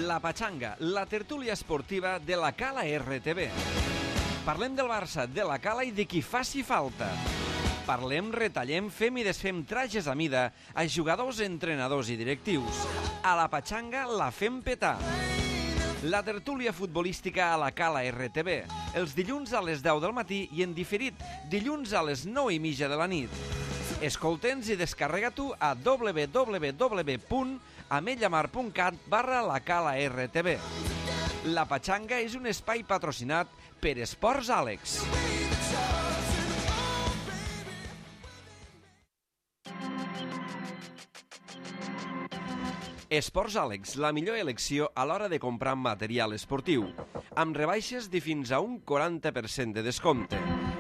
La Pachanga, la tertúlia esportiva de la Cala RTV. Parlem del Barça, de la Cala i de qui faci falta. Parlem, retallem, fem i desfem trajes a mida a jugadors, entrenadors i directius. A la Pachanga la fem petar. La tertúlia futbolística a la Cala RTV, els dilluns a les 10 del matí i en diferit dilluns a les 9:30 de la nit. Escolta'ns i descarrega-t'ho a www.ametlllamar.cat/la Cala RTV. La Pachanga és un espai patrocinat per Esports Àlex. Esports Àlex, la millor elecció a l'hora de comprar material esportiu, amb rebaixes de fins a un 40% de descompte.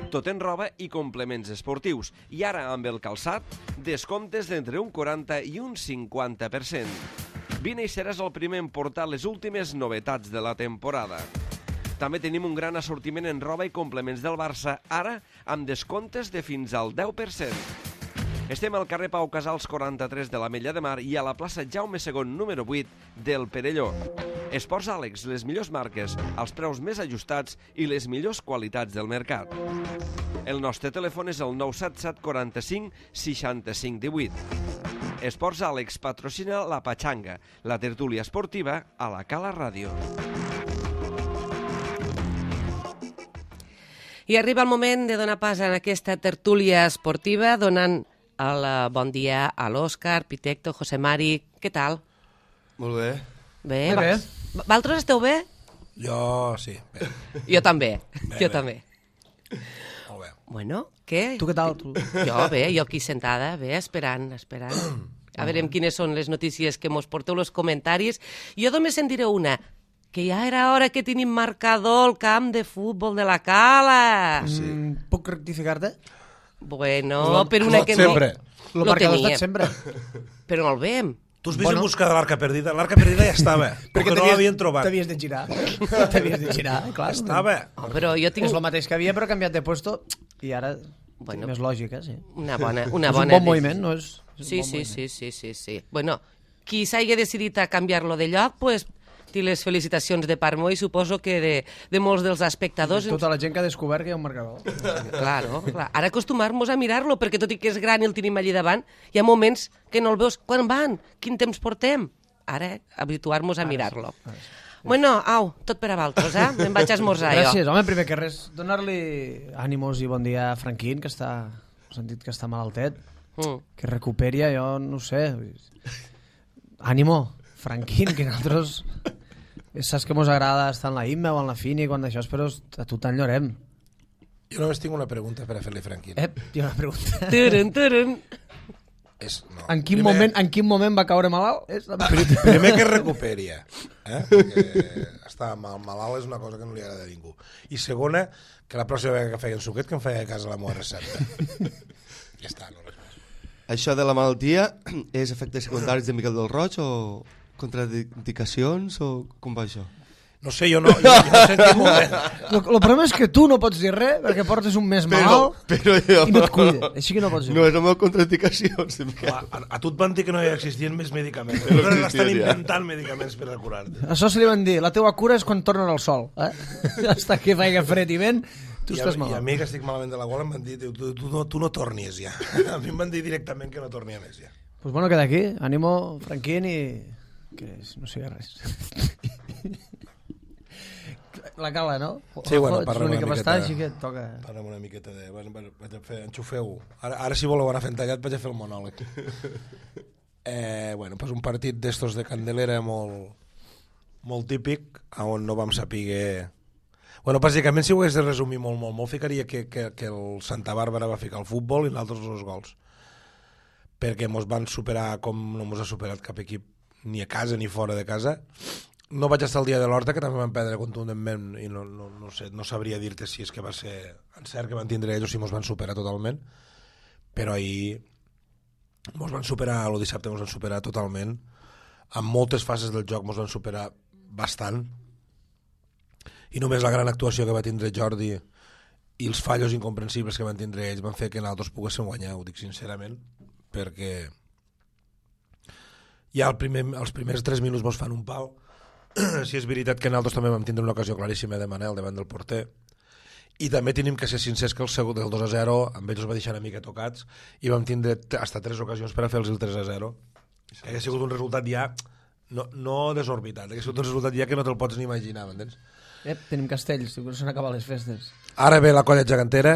Tot en roba i complements esportius. I ara, amb el calçat, descomptes d'entre un 40 i un 50%. Vine i seràs el primer en portar les últimes novetats de la temporada. També tenim un gran assortiment en roba i complements del Barça, ara amb descomptes de fins al 10%. Estem al carrer Pau Casals 43 de l'Ametlla de Mar i a la plaça Jaume II número 8 del Perelló. Esports Àlex, les millors marques, els preus més ajustats i les millors qualitats del mercat. El nostre telèfon és el 977 45 65 18. Esports Àlex patrocina la Pachanga, la tertúlia esportiva a la Cala Ràdio. I arriba el moment de donar pas a aquesta tertúlia esportiva, donant el bon dia a l'Òscar, Pitecto, José Mari. Què tal? Molt bé. Bé. Valtros esteu bé? Jo sí. Bé. Jo també. Bé. També. Molt bé. Bueno, què? Tu què tal? Jo bé, jo aquí sentada, bé, esperant. A veure quines són les notícies que mos porteu els comentaris. Jo només en diré una, que ja era hora que tenim marcador al camp de futbol de la Cala. Sí. Puc rectificar-te? Bueno, per una que no... Sempre. Lo marcador ha estat sempre. Però no el veiem. Tu has vist en busca de l'Arca Perdida? L'Arca Perdida ja estava, perquè no l'havien trobat. T'havies de girar, clar. Estava. Oh, però jo tinc... És el mateix que havia, però canviat de puesto, i ara Bueno, més lògica, sí. Una bona és un bon moviment, no? És un Sí. bon moviment. Bueno, qui s'hagi decidit a canviar-lo de lloc, pues, té les felicitacions de part meu i suposo que de molts dels espectadors. Tota la gent que ha descobert que hi ha un marcador. Claro. Ara acostumar-nos a mirar-lo, perquè tot i que és gran i el tenim allí davant, hi ha moments que no el veus. Quan van? Quin temps portem? Ara, habituar-nos a mirar-lo. Bueno, au, tot per a Valtros, Me'n vaig a esmorzar, Gràcies, home, primer que res, donar-li ànimos i bon dia a Franquín, que està, he sentit que està malaltet, que recuperi, jo no ho sé. Ànimo, Franquín, que nosaltres... Saps que mos agrada estar en la IMA o en la FINI quan d'això, però a tu t'enyorem. Jo només tinc una pregunta per a fer-li Franquín. Hi ha una pregunta. Turun. No. En quin moment va caure malalt? Primer que es recuperi, perquè estar malalt és una cosa que no li agrada a ningú. I segona, que la pròxima vegada que feien suquet que em feia a casa la meva recepta. Ja està, no res més. Això de la malaltia és efectes secundaris de Miquel del Roig o contraindicacions o com va això? No sé, jo no sé en quin moment. El problema és que tu no pots dir res perquè portes un mes malalt però jo... i no et cuida. Així que no pots dir No és la meva contraindicació. A tu et van dir que no hi existien més medicaments. Però estan inventant medicaments per a curar-te. Això se li van dir, la teua cura és quan tornen al sol. Hasta que faig fred i vent, tu estàs malalt. I a mi, que estic malament de la gola, em van dir, tu no tornis ja. A mi em van dir directament que no tornia més ja. Pues bueno, queda aquí. Ànimo, Franquín, i que no sé res. La Cala, no? Sí, bueno, parlem una miqueta. miqueta. Així que toca... Parlem una miqueta de... Vaig a fer... Enxufeu-ho. Ara si voleu anar fent tallat, vaig a fer el monòleg. Bueno, pues un partit d'estos de Candelera molt típic, on no vam saber... Bueno, bàsicament, si ho hagués de resumir molt, ficaria que el Santa Bàrbara va ficar el futbol i nosaltres els gols. Perquè mos van superar com no mos ha superat cap equip, ni a casa ni fora de casa. No vaig estar el dia de l'Horta, que també van perdre contundentment, i no sé, no sabria dir-te si és que va ser encert que van tindre ells o si mos van superar totalment, però ahir mos van superar, el dissabte mos van superar totalment, en moltes fases del joc mos van superar bastant, i només la gran actuació que va tindre Jordi i els fallos incomprensibles que van tindre ells van fer que nosaltres poguéssim guanyar, ho dic sincerament, perquè ja els primers 3 minuts mos fan un pal si és veritat que nosaltres també vam tindre una ocasió claríssima de Manel davant del porter, i també tenim que ser sincers que el segon del 2-0 amb ells els va deixar una mica tocats i vam tindre hasta 3 ocasions per a fer-los el 3-0. Ha sigut un resultat ja no desorbitat, ha sigut un resultat ja que no te'l pots ni imaginar, m'entens? Tenim castells, diu que s'han acabat les festes. Ara ve la colla gegantera.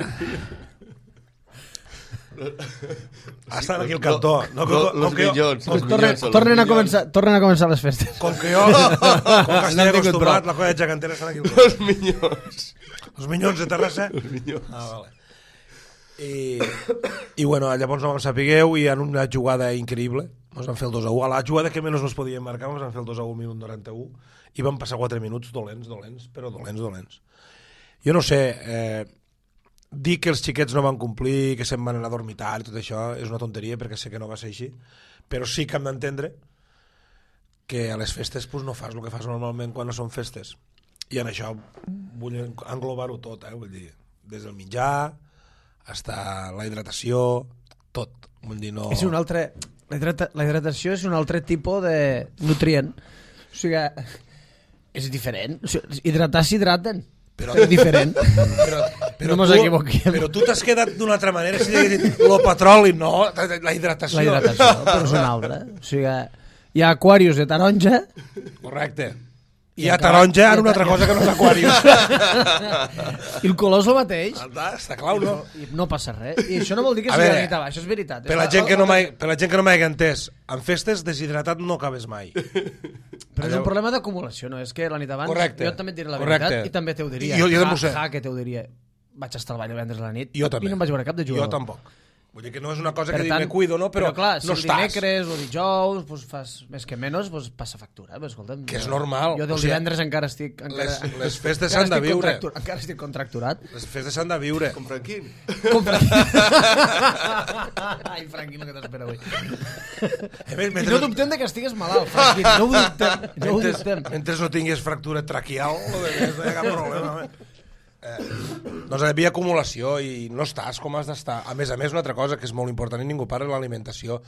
Estan aquí al cantó. Los millons. Tornen a començar les festes. Com que estic acostumat, la colla gegantera estan aquí al cantó. Los minyons. Els minyons de Terrassa? Els minyons. Vale. I bueno, llavors no vam sapigueu i en una jugada increïble ens van fer el 2-1. A la jugada que menys nos podíem marcar ens van fer el 2-1 al minut 91 i van passar 4 minuts dolents, però dolents. Jo no sé, dir que els xiquets no van complir, que se'n van anar a dormitar i tot això és una tonteria perquè sé que no va ser així, però sí que hem d'entendre que a les festes pues, no fas el que fas normalment quan no són festes. I en això vull englobar-ho tot, vull dir, des del menjar fins a la hidratació, tot. Vull dir, no... És un altre... La hidratació és un altre tipus de nutrient. O sigui, és diferent. O sigui, hidratar s'hidraten, però és diferent. Però no mos equivoquem. Però tu t'has quedat d'una altra manera, si hagués dit el petroli, no, la hidratació. La hidratació, però és una altra. O sigui, hi ha aquarius de taronja. Correcte. I a taronja en una altra cosa que no és aquarius. I el color és el mateix. Està clar, no? I no passa res. I això no vol dir que sigui nit abaix, això és veritat. Per la gent que no m'hagi entès, en festes deshidratat no acabes mai. Però és un problema d'acumulació, no? És que la nit abans jo també et diré la veritat i també t'ho diria. Que t'ho diria. Vaig estar al ball divendres a la nit i no em vaig veure cap de jugador. Jo tampoc. Vull dir que no és una cosa que dic me cuido, no? Però clar, si no el dimecres o dijous pues, fas més que menys, pues, passa factura. Pues, escolta'm, que és normal. Jo del divendres encara estic... Les festes s'han de viure. Encara estic contracturat. Les festes s'han de viure. Com Franquín. Ai, Franquín, el que t'espera avui. I no dubtem que estigues malalt, Franquín. No ho dubtem. Mentre no tinguis fractura traquial, no hi ha cap problema. Doncs hi havia acumulació i no estàs com has d'estar. A més, una altra cosa que és molt important i ningú parla, l'alimentació.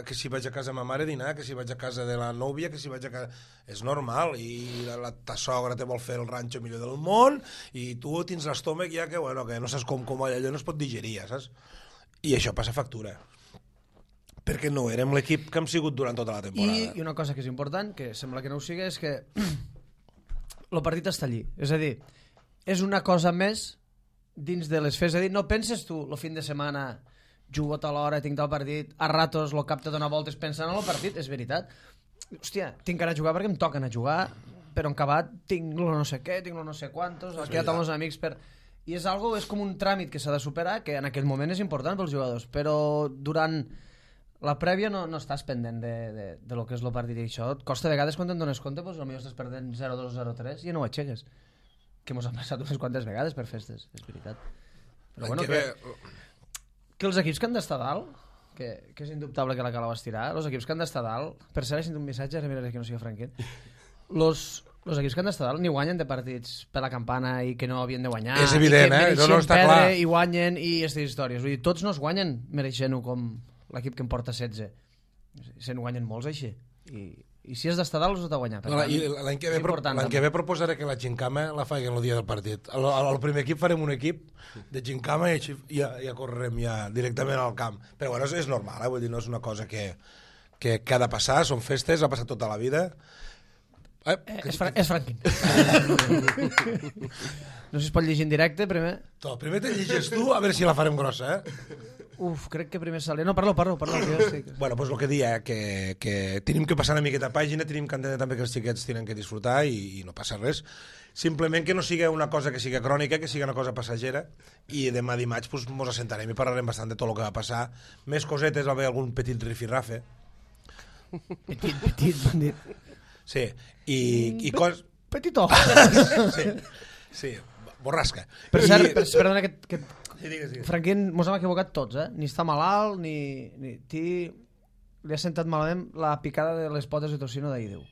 Que si vaig a casa de ma mare a dinar, que si vaig a casa de la nòvia, que si vaig a casa... És normal, i ta sogra te vol fer el ranxo millor del món i tu tens l'estómac ja que, bueno, que no saps com allò no es pot digerir, saps? I això passa factura. Perquè no érem l'equip que hem sigut durant tota la temporada. I una cosa que és important, que sembla que no ho sigui, és que el partit està allí. És a dir, és una cosa més dins de les festes. És a dir, no penses tu el fin de setmana jugo a tal hora, tinc tal partit, a ratos lo cap te dona voltes pensant en el partit, és veritat. Hòstia, tinc que anar a jugar perquè em toca anar a jugar, però en acabat tinc lo no sé què, tinc lo no sé quantos, he quedat amb els amics per... I és com un tràmit que s'ha de superar, que en aquell moment és important pels jugadors, però durant la prèvia no estàs pendent de lo que és el partit i això. Et costa a vegades quan te'n dones compte, doncs potser estàs perdent 0-2, 0-3 i no ho aixeques. Que mos ha passat unes quantes vegades per festes, és veritat. Però bueno, que els equips que han d'estar dalt, que és indubtable que la cala va estirar, els equips que han d'estar dalt, per cert, he sentit un missatge, ara miraré que no sigui Franquín, els equips que han d'estar dalt ni guanyen de partits per la campana i que no havien de guanyar. És evident, no està clar. I guanyen i aquestes històries. Vull dir, tots no es guanyen mereixent-ho com l'equip que en porta 16. Se'n guanyen molts així. I si has d'estar dalt, has de guanyar. L'any que ve proposaré que la gincama la facin el dia del partit. Al primer equip farem un equip de gincama i ja correrem ja directament al camp. Però bueno, és normal, vull dir, no és una cosa que ha de passar, són festes, ha passat tota la vida. És Franquín. No sé si es pot llegir en directe, primer. Primer te llegeix tu, a veure si la farem grossa, Crec que primer sale... No, parlo, que jo estic... Bueno, doncs el que dia, que tenim que passar una miqueta pàgina, tenim que entendre també que els xiquets tenen que disfrutar i no passa res. Simplement que no sigui una cosa que sigui crònica, que sigui una cosa passagera, i demà dimarts pues, mos assentarem i parlarem bastant de tot el que va passar. Més cosetes, va haver algun petit rifirrafe. Petit, bon dit. Sí, i cos... Petitó. Sí, borrasca. Per cert, perdona que... Digues. Franquín, mos hem equivocat tots, Ni està malalt, ni... Li ha sentat malament la picada de les potes de tocino d'Aideu.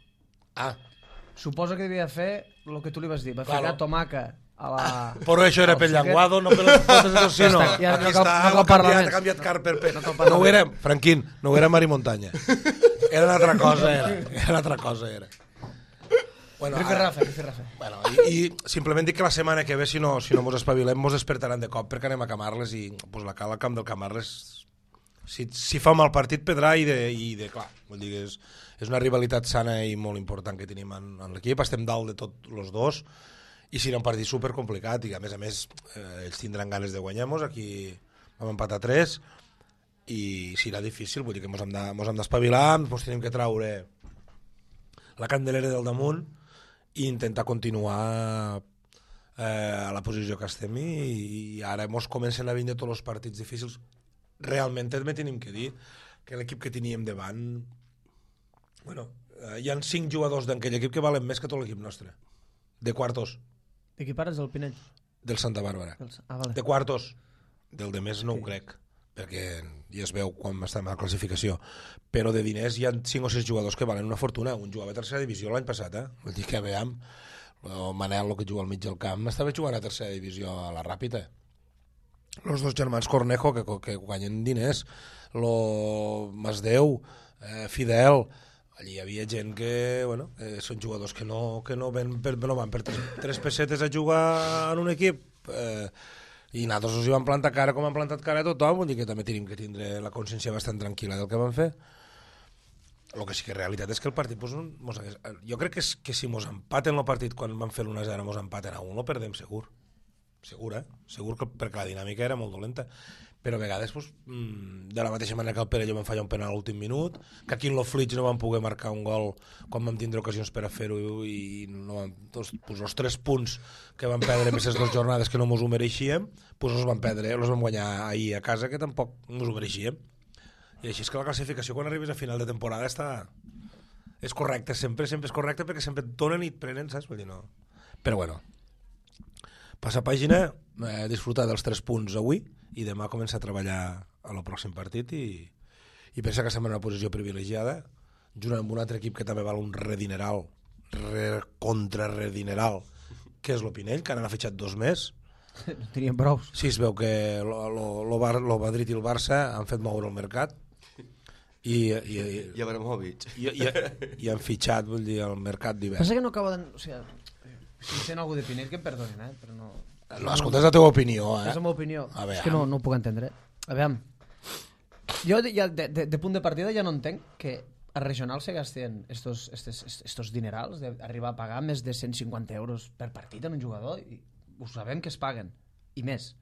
Suposo que devia fer el que tu li vas dir. Va ficar tomaca a la... Però això era pel llenguado, no per les potes de tocino. Aquí està, ha canviat car per pe. No ho era, Franquín, no ho era Mari Montaña. Era una altra cosa, era. Bueno, Rifirrafe. Bueno, i simplement dic que la setmana que ve, si no mos espavilem, mos despertaran de cop perquè anem a Camarles i pues, al camp del Camarles si fa mal partit pedrà clar, vull dir que és una rivalitat sana i molt important que tenim en l'equip, estem dalt de tots els dos i serà un partit supercomplicat i a més ells tindran ganes de guanyar-nos, aquí vam empatar 3 i serà difícil, vull dir que mos hem d'espavilar, ens tenim que traure la candelera del damunt i intentar continuar a la posició que estem i ara mos comencen a vindre tots els partits difícils. Realment també tenim que dir que l'equip que teníem davant hi ha 5 jugadors d'aquell equip que valen més que tot l'equip nostre de quartos. De qui pares, del Pinell? Del Santa Bàrbara. Vale. De quartos. Del de més no ho crec perquè ja es veu quan estem a la classificació, però de diners hi ha 5 o 6 jugadors que valen una fortuna. Un jugava a tercera divisió l'any passat, vull dir que veiem el Manel, el que juga al mig del camp, estava jugant a tercera divisió a la Ràpita. Els 2 germans Cornejo que guanyen diners, lo Masdeu, Fidel, allí hi havia gent que són jugadors que no van per 3 pessetes a jugar en un equip i nosaltres us hi vam plantar cara com han plantat cara a tothom, vull dir que també tenim que tindre la consciència bastant tranquil·la del que vam fer. El que sí que és realitat és que el partit jo crec que si mos empaten el partit quan vam fer l'1-0 mos empaten a 1 lo perdem segur, segur perquè la dinàmica era molt dolenta, però a vegades de la mateixa manera que el Perelló vam fallar un penal a l'últim minut, que aquí en l'Oflits no vam poder marcar un gol quan vam tindre ocasions per a fer-ho i els 3 punts que vam perdre en aquestes 2 jornades que no mos ho mereixíem, els vam guanyar ahir a casa que tampoc mos ho mereixíem. I així és que la classificació quan arribes a final de temporada és correcta, sempre és correcta perquè sempre et donen i et prenen, saps? Vull dir, no. Però bueno, passa pàgina, disfrutar dels 3 punts avui i demà començar a treballar a el pròxim partit i pensa que estem en una posició privilegiada junt amb un altre equip que també val un redineral contrarredineral que és l'Opinell, que ara n'ha fitxat 2 més. No tenien prou. Sí, es veu que el Madrid i el Barça han fet moure el mercat i Abramovich i han fitxat, vull dir, el mercat d'hivern. Pensa que no acabo de... O sigui, si sent algú de Pinell que em perdonin, però no... No, escolta, és la teva opinió, És la meva opinió. És que no ho puc entendre. A veure, jo ja de punt de partida ja no entenc que a regional se gasten estos dinerals d'arribar a pagar més de 150 euros per partit en un jugador i ho sabem que es paguen, i més.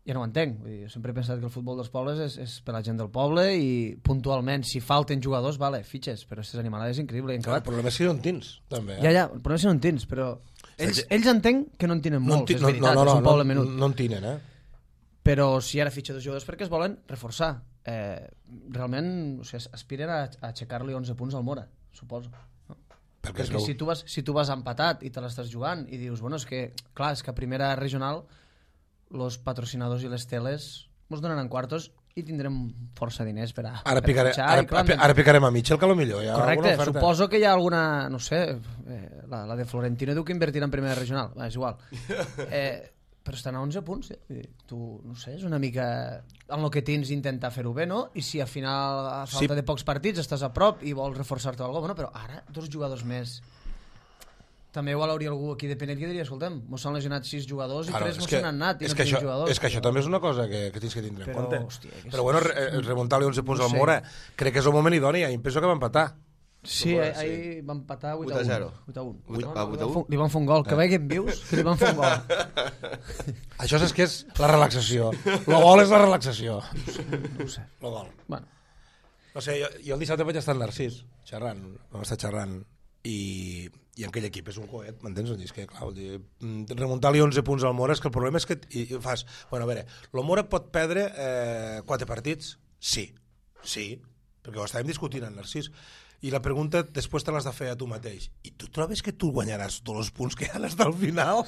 Ja no ho entenc. Vull dir, sempre he pensat que el futbol dels pobles és per la gent del poble i puntualment, si falten jugadors, vale, fitxes, però aquestes animalades és increïble. El problema és que no en tens, també. Ja, el problema és que no en tens, però ells entenc que no en tenen molts, és veritat, és un poble menut. No en tenen, Però si ara fitxa 2 jugadors perquè es volen reforçar. Realment, o sigui, aspiren a aixecar-li 11 punts al Mora, suposo. Perquè si tu vas empatat i te l'estàs jugant i dius, bueno, és que a primera regional los patrocinadors i les teles ens donaran quartos i tindrem força diners per a ara picarem a Mitchell, que potser hi ha correcte, suposo que hi ha alguna, no sé, la de Florentino diu que invertirà en primera regional, és igual. Però estan a 11 punts, tu, no sé, és una mica en el que tens intentar fer-ho bé, no? I si al final a falta de pocs partits estàs a prop i vols reforçar-te alguna cosa, bueno, però ara 2 jugadors més. També igual hauria algú aquí de Pinell que diria, escoltem, mos s'han lesionat 6 jugadors i 3 mos s'han anat i no tenim jugadors. És que això també és una cosa que tens que tindre en compte. Però bueno, remuntar-li 11 punts al Mora, crec que és el moment idoni, em penso que va empatar. Sí, ahir van empatar 8-1. 8-1. Li van fer un gol, que veiem vius, que li van fer un gol. Això és que és la relaxació. El gol és la relaxació. No ho sé. El gol. Bueno. No sé, jo el dissabte vaig estar al Narcís, vam estar xerrant i aquell equip és un coet, m'entens? És que, clar, remuntar-li 11 punts al Mora és que el problema és que fas... Bueno, a veure, el Mora pot perdre 4 partits? Sí, perquè ho estàvem discutint al Narcís. I la pregunta després te l'has de fer a tu mateix. I tu trobes que tu guanyaràs tots els punts que hi ha fins al final?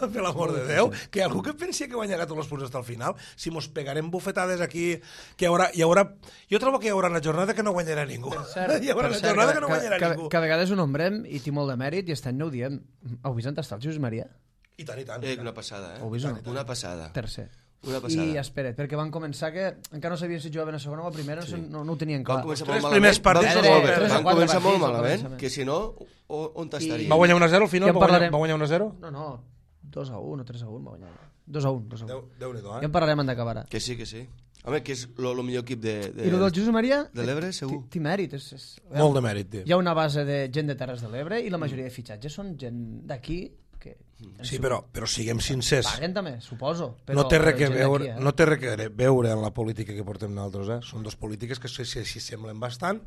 Per l'amor de Déu, que hi ha algú que pensi que guanyarà tots els punts fins al final? Si mos pegarem bufetades aquí, que hi haurà... Jo trobo que hi haurà una jornada que no guanyarà ningú. Hi haurà una jornada que no guanyarà ningú. Que a vegades ho nombrem i té molt de mèrit i aquest any no ho diem. Heu vist on està el Josep Maria? I tant. Una passada, Ho vist o no? Una passada. Tercer. Una passada. I espera't, perquè van començar que encara no sabien si jugaven a segona o a primera, no ho tenien clar. Van començar Tres molt primers malament. partits Van tres o Van quatre començar molt partits al malament, començament. que si no, on t'estaria? Va guanyar 1-0 al final? Ja en Va parlarem. guanyar 1-0? No, 2-1 o 3-1 va guanyar. 2-1. Déu-n'hi-do, Ja en parlarem en d'acabar. Que sí. Home, que és el millor equip I el del Josep Maria... de l'Ebre, segur. Té mèrit. Molt de mèrit, tio. Hi ha una base de gent de Terres de l'Ebre i la majoria de fitxatges són gent d'aquí que... Sí, però siguem sincers. Paguen també, suposo. No té res que gent veure, d'aquí, no té res que veure en la política que portem nosaltres, Són dos polítiques que s'hi semblen bastant,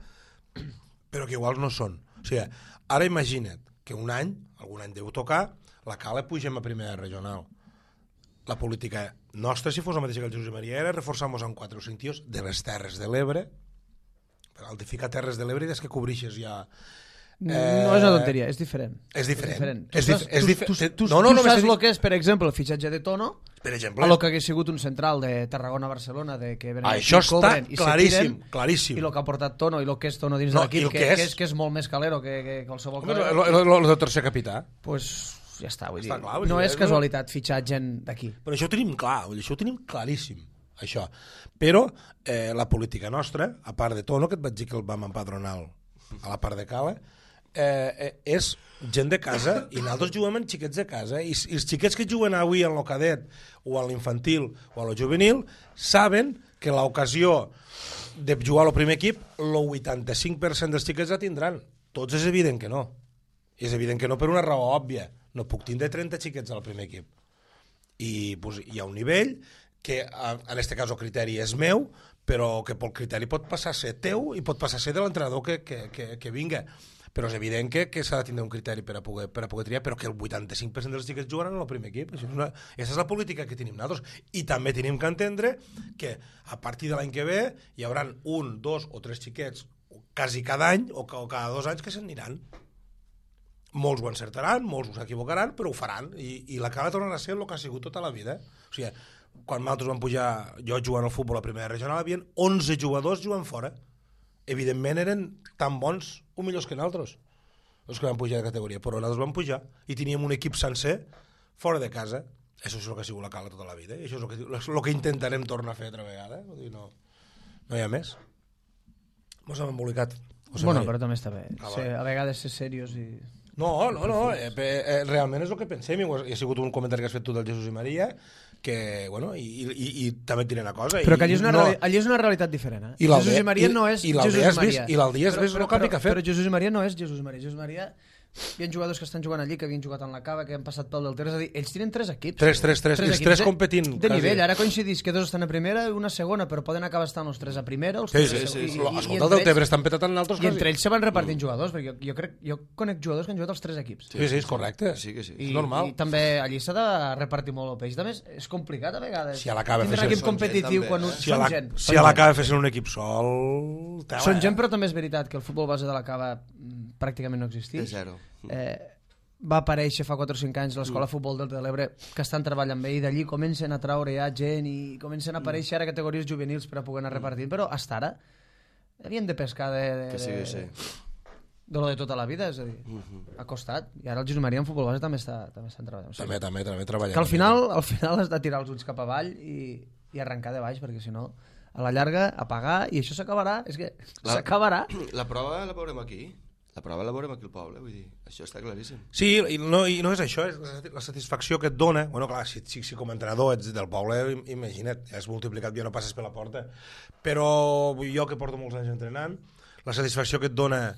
però que iguals no són. O sigui, ara imagina't que algun any deu tocar, la Cala pugem a primera regional. La política nostra, si fos la mateixa que el Josep Maria, era reforçar-nos amb 4 o 5 tios de les Terres de l'Ebre, per al de ficar Terres de l'Ebre i des que cobrixes ja... No és una tonteria, és diferent. És diferent. Tu saps el que és, per exemple, el fitxatge de Tono, per exemple, a lo que hagués sigut un central de Tarragona-Barcelona, de que venen això aquí, cobren està i claríssim, se tiren, claríssim. i el que ha portat Tono i el que és Tono dins No, de l'equip, i el que és molt més calero que qualsevol Home, calero. el de tercer capità. Pues ja està, vull dir. Clar, No és casualitat fitxar gent d'aquí. Però això ho tenim clar, això ho tenim claríssim, això. Però la política nostra, a part de Tono, que et vaig dir que el vam empadronar a la part de Cala, és gent de casa i nosaltres juguem amb xiquets de casa i els xiquets que juguen avui en el cadet o en l'infantil o en el juvenil saben que l'ocasió de jugar al primer equip el 85% dels xiquets la tindran. Tots és evident que no. I és evident que no per una raó òbvia. No puc tindre 30 xiquets al primer equip. I pues, hi ha un nivell que en aquest cas el criteri és meu, però que pel criteri pot passar a ser teu i pot passar a ser de l'entrenador que vinga. Però és evident que s'ha de tindre un criteri per a poder triar, però que el 85% dels xiquets jugaran en el primer equip. Aquesta és la política que tenim nosaltres. I també tenim que entendre que a partir de l'any que ve hi haurà 1, 2 o 3 xiquets quasi cada any o cada 2 anys que se'n aniran. Molts ho encertaran, molts ho s'equivocaran, però ho faran. I la Cala tornarà a ser el que ha sigut tota la vida. O sigui, quan nosaltres vam pujar, jo jugant al futbol a primera regional, hi havia 11 jugadors jugant fora. Evidentment eren tan bons o millors que nosaltres, els que van pujar de categoria, però nosaltres vam pujar i teníem un equip sencer fora de casa. Això és el que ha sigut la Cala tota la vida, i això és el que intentarem tornar a fer altra vegada. No hi ha més. Mos hem embolicat. Bueno, però també està bé. A vegades ser serios i... No, realment és el que pensem, i ha sigut un comentari que has fet tu del Jesús i Maria, que, bueno, i també et diré una cosa... Però que allí és una realitat diferent, I Jesús i Maria no és Jesús i Maria. I l'Aldea és el canvi que ha fet. Però Jesús i Maria no és Jesús i Maria. Jesús i Maria... Hi ha jugadors que estan jugant allí, que havien jugat en la Cava, que han passat pel del Ter, és a dir, ells tenen 3 equips. 3, els 3 competint. De nivell, ara coincidís que 2 estan a primera i una a segona, però poden acabar estant els 3 a primera, els 3 a segona. Escolta, el del Tebre estan petat en altres casos. I entre ells se van repartint jugadors, perquè jo conec jugadors que han jugat als 3 equips. Sí, és correcte. És normal. I també allí s'ha de repartir molt el peix. També és complicat a vegades. Si a la Cava fessin un equip competitiu quan són gent. Si a la Cava fessin un equip sol... Són gent, però també és veritat que el futbol base de la Cava pràcticament no existeix. És zero. Va aparèixer fa 4 o 5 anys l'escola de futbol del Delta de l'Ebre, que estan treballant bé, i d'allí comencen a traure ja gent i comencen a aparèixer ara categories juvenils per a poder anar repartint, però fins ara havien de pescar de lo de tota la vida, és a dir, ha costat. I ara el Jesús Maria en futbol base també estan treballant. També treballant. Que al final has de tirar els ulls cap avall i arrencar de baix, perquè si no, a la llarga, apagar, i això s'acabarà, és que s'acabarà. La prova la veurem aquí. La prova la veurem aquí al poble, vull dir, això està claríssim. Sí, i no és això, és la satisfacció que et dona. Bueno, clar, si com a entrenador ets del poble, imagina't, ja has multiplicat, ja no passes per la porta. Però jo que porto molts anys entrenant, la satisfacció que et dona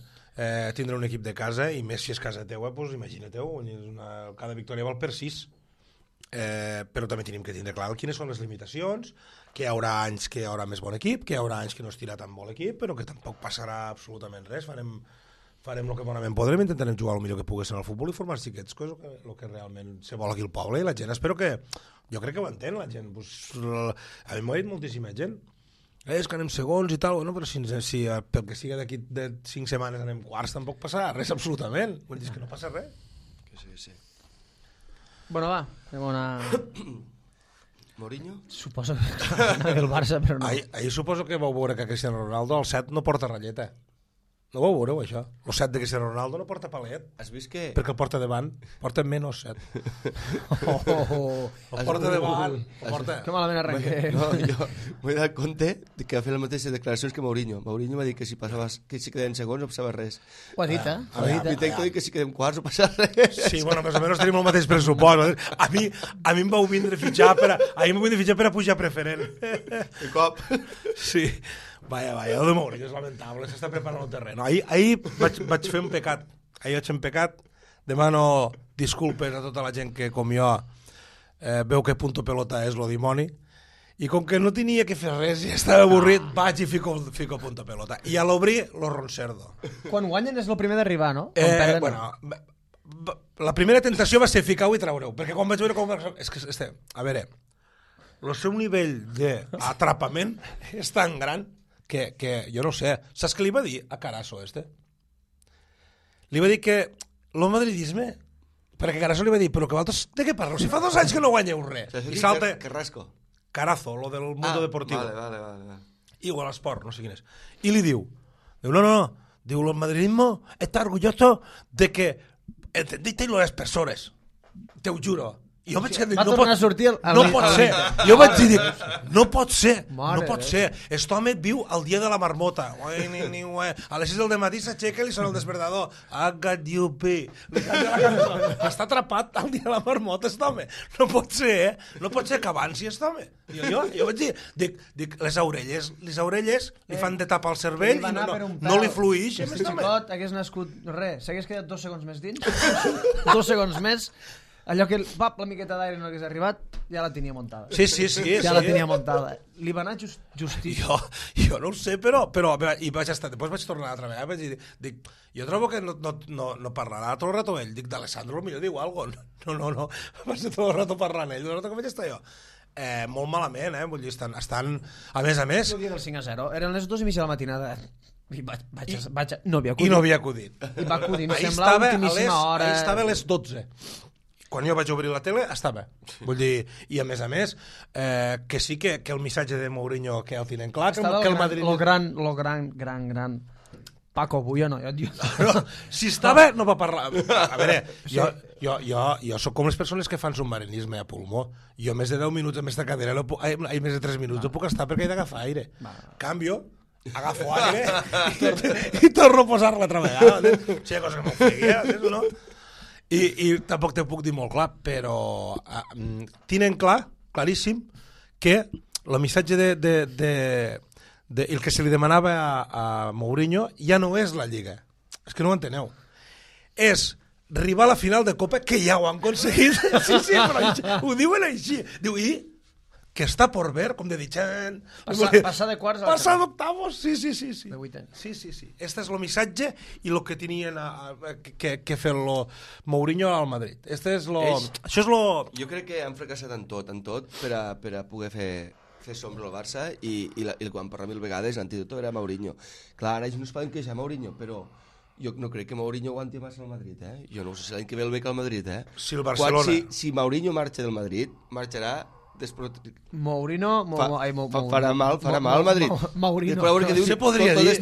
tindre un equip de casa, i més si és casa teua, doncs imagina-teu, cada victòria val per 6. Però també tenim que tindre clar quines són les limitacions, que hi haurà anys que hi haurà més bon equip, que hi haurà anys que no es tira tan bon equip, però que tampoc passarà absolutament res. Farem el que bonament podrem, intentarem jugar el millor que pogués en el futbol i formar xiquets, que és el que realment se vol aquí al poble, i la gent espero que... Jo crec que ho entén, la gent. A mi m'ho ha dit moltíssima gent. És que anem segons i tal, bueno, però si pel que siga d'aquí de 5 setmanes anem quarts, tampoc passarà res absolutament. Vull dir, que no passa res. Que sí. Bueno, va, anem a una... Mourinho? Suposo que el Barça, però no. Ahir suposo que vau veure que Cristiano Ronaldo al 7 no porta ratlleta. No ho veureu, això. El 7 de Cristiano Ronaldo no porta palet, Has vist que... perquè el porta davant. Porta menys 7. El porta davant. Que malament arrenqué. No, jo m'he donat compte que va fer les mateixes declaracions que Mourinho. Mourinho va dir que si queden segons no passava res. Ho ha dit, eh? Ho ha dit, I tenc que dir que si quedem quarts no passa res. Sí, bueno, més o menys tenim el mateix pressupost. A mi em vau vindre a fitxar per a pujar preferent. De cop. Sí. Vaya, el de Mourinho és lamentable, s'està preparant el terreny. Ahir vaig fer un pecat. Ahir vaig fer un pecat. Demano disculpes a tota la gent que, com jo, veu que punto pelota és lo dimoni. I com que no tenia que fer res i estava avorrit, vaig i fico punto pelota. I a l'obrir, lo roncerdo. Quan guanyen és el primer d'arribar, no? Quan perden, bueno, la primera tentació va ser ficar-ho i traureu, perquè quan vaig veure com... És que, a veure, el seu nivell d'atrapament és tan gran que jo no sé. Saps què li va dir a Carasso, Li va dir que el madridisme... Perquè Carasso li va dir, però que vosaltres de què parleu? Si fa 2 anys que no guanyeu res. I salta... Carrasco. Carazo, lo del mundo deportivo. Vale. Igual esport, no sé quin és. I li diu, no. Diu, el madridismo está orgulloso de que entendiste las personas. Te ho juro. I jo vaig dir, va tornar a sortir no pot ser. Jo vaig dir, no pot ser. Mare No pot ser. Este home viu el dia de la marmota. A les 6 del matí s'aixeca i li sona el despertador. I got you, pee. Està atrapat al dia de la marmota, este home. No pot ser, No pot ser que avanci, este home. Jo vaig dir, dic, les orelles li fan de tapar el cervell i no li fluix. Si xicot hagués nascut res, s'hagués quedat 2 segons més dins, 2 segons més, allò que la miqueta d'aire no hagués arribat, ja la tenia muntada. Sí. Ja la tenia muntada. Li va anar justíssim. Jo no ho sé, però i vaig estar, després vaig tornar altra vegada, vaig dir, dic, jo trobo que no parlarà tot el rato ell, dic, d'Alessandro millor diu alguna cosa. No, va ser tot el rato parlant ell, el rato que vaig estar jo. Molt malament, vull dir, estan a més... El dia del 5-0, eren les 2:30 de la matinada. I no havia acudit. I no havia acudit. I va acudir, em sembla, l'ultimíssima hora. Ahir estava a les 12. Quan jo vaig obrir la tele, estava. Vull dir, i a més, que sí que el missatge de Mourinho que el tenen clar, que el Madrid... Lo gran Paco Buyono. Si estava, no va parlar. A veure, jo soc com les persones que fan submarinisme a pulmó. Jo més de 10 minuts en aquesta cadira, més de 3 minuts, no puc estar perquè he d'agafar aire. Canvio, agafo aire i torno a posar-la altra vegada. Sí, cosa que m'ofegui, no? I tampoc te puc dir molt clar, però tenen claríssim, que el missatge el que se li demanava a Mourinho ja no és la Lliga. És que no ho enteneu. És arribar a la final de Copa, que ja ho han aconseguit. Sí, però ho diuen així. Diu, i que està por ver, com de ditxant... Passar de quarts a la passar d'octavos, sí. De vuitens. Sí. Este és el missatge i el que tenien que fer Mourinho al Madrid. Això és lo... Jo crec que han fracassat en tot per a poder fer sombra al Barça i quan parla 1000 vegades l'antídot era Mourinho. Clar, ara ells no es poden queixar Mourinho, però jo no crec que Mourinho aguanti massa al Madrid, Jo no sé si l'any que ve el bec al Madrid, Si el Barcelona... Si Mourinho marxa del Madrid, marxarà Mourinho farà mal al Madrid. Mourinho. Se podria dir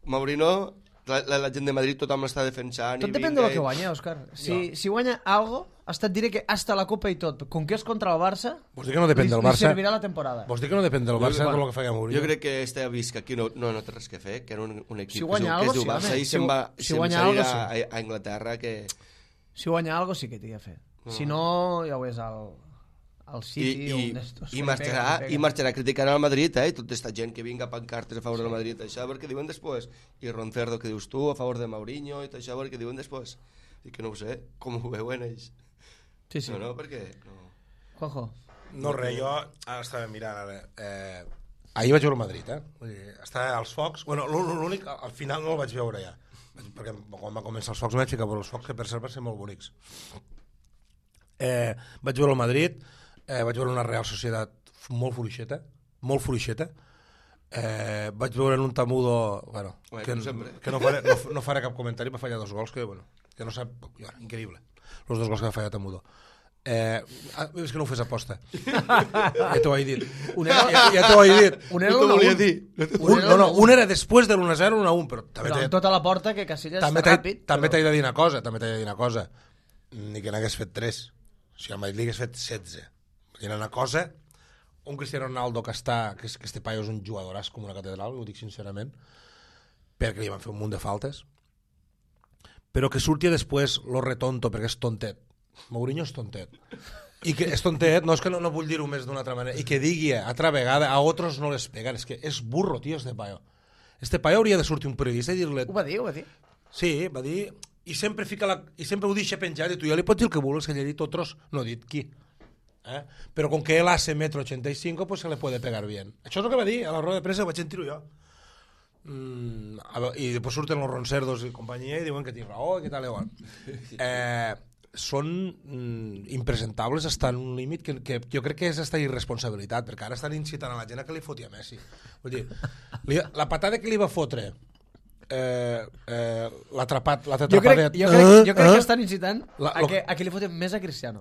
Mourinho, la gent de Madrid tothom l'està defensant. Tot depèn del que guanya, Òscar. Si guanya algo, hasta et diré que hasta la Copa i tot, com que és contra el Barça, vols dir que no depèn del Barça? Li servirà la temporada. Vols dir que no depèn del Barça com el que fa Mourinho? Jo crec que este ha vist que aquí no té res que fer, que era un equip que es diu Barça i se'n va a Anglaterra que... Si guanya algo sí que t'hi ha fet. Si no, ja ho és al City o un d'estos. I marxarà criticant al Madrid, i tota aquesta gent que vinga a pancartes a favor del Madrid, això perquè diuen després. I Roncerdo, que dius tu, a favor de Mourinho, i tot això perquè diuen després. I que no ho sé, com ho veuen ells. Sí. No, perquè... Juanjo. No, res, jo estava mirant ara. Ahir vaig veure el Madrid, Vull dir, estava als focs. Bueno, l'únic, al final no el vaig veure ja. Perquè quan va començar els focs vaig ficar per els focs, que per cert van ser molt bonics. Vaig veure el Madrid, vaig veure una Real Societat molt fluixeta, vaig veure en un Tamudo, que no faré cap comentari, va fallar 2 gols que no sap, increïble, els 2 gols que va fallar Tamudo. És que no ho fes aposta. Ja t'ho he dit. Ja t'ho he dit. Un era l'1-1. Un era després de l'1-0, 1-1, però amb tota la porta que Casillas també està ràpid. També t'he de dir una cosa. Ni que n'hagués fet 3. O sigui, el Madrid li hagués fet 16. Era una cosa... Un Cristiano Ronaldo que este paio és un jugadoràs com una catedral, ho dic sincerament, perquè li van fer un munt de faltes, però que surti després lo retonto, perquè és tontet. Mourinho és tontet. I que és tontet, no és que no vull dir-ho més d'una altra manera, i que digui altra vegada a otros no les pegan, és que és burro, tio, este paio. Este paio hauria de sortir un periodista i dir-li... Ho va dir. Sí, va dir... I sempre ho deixa penjat, i tu ja li pots dir el que vulguis, que ell ha dit otros, no ha dit qui. Però com que él hace 1,85 m, pues se le puede pegar bien. Això és el que va dir a la roda de premsa, ho vaig sentir-ho jo. I després surten los roncerdos i companyia i diuen que tinc raó, que tal igual. Són impresentables hasta en un límit que jo crec que és hasta irresponsabilitat, perquè ara estan incitant a la gent a que li foti a Messi. Vull dir, la patada que li va fotre l'atrapat jo crec que estan incitant a que li foten més a Cristiano.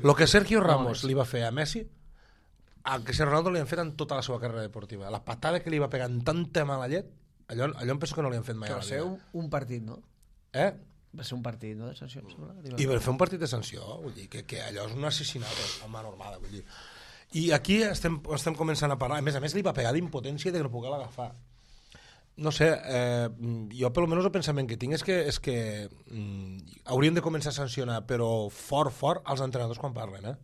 Lo que Sergio Ramos li va fer a Messi, a Cristiano Ronaldo li han fet en tota la seva carrera deportiva. La patada que li va pegar en tanta mala llet, allò em penso que no li han fet mai a la vida. Va ser un partit, no? Va ser un partit, no?, de sanció. I va fer un partit de sanció, vull dir, que allò és un assassinat a mà normada, vull dir. I aquí estem començant a parlar, a més li va pegar d'impotència i de no poder l'agafar. No sé, jo per almenys el pensament que tinc és que hauríem de començar a sancionar, però fort als entrenadors quan parlen,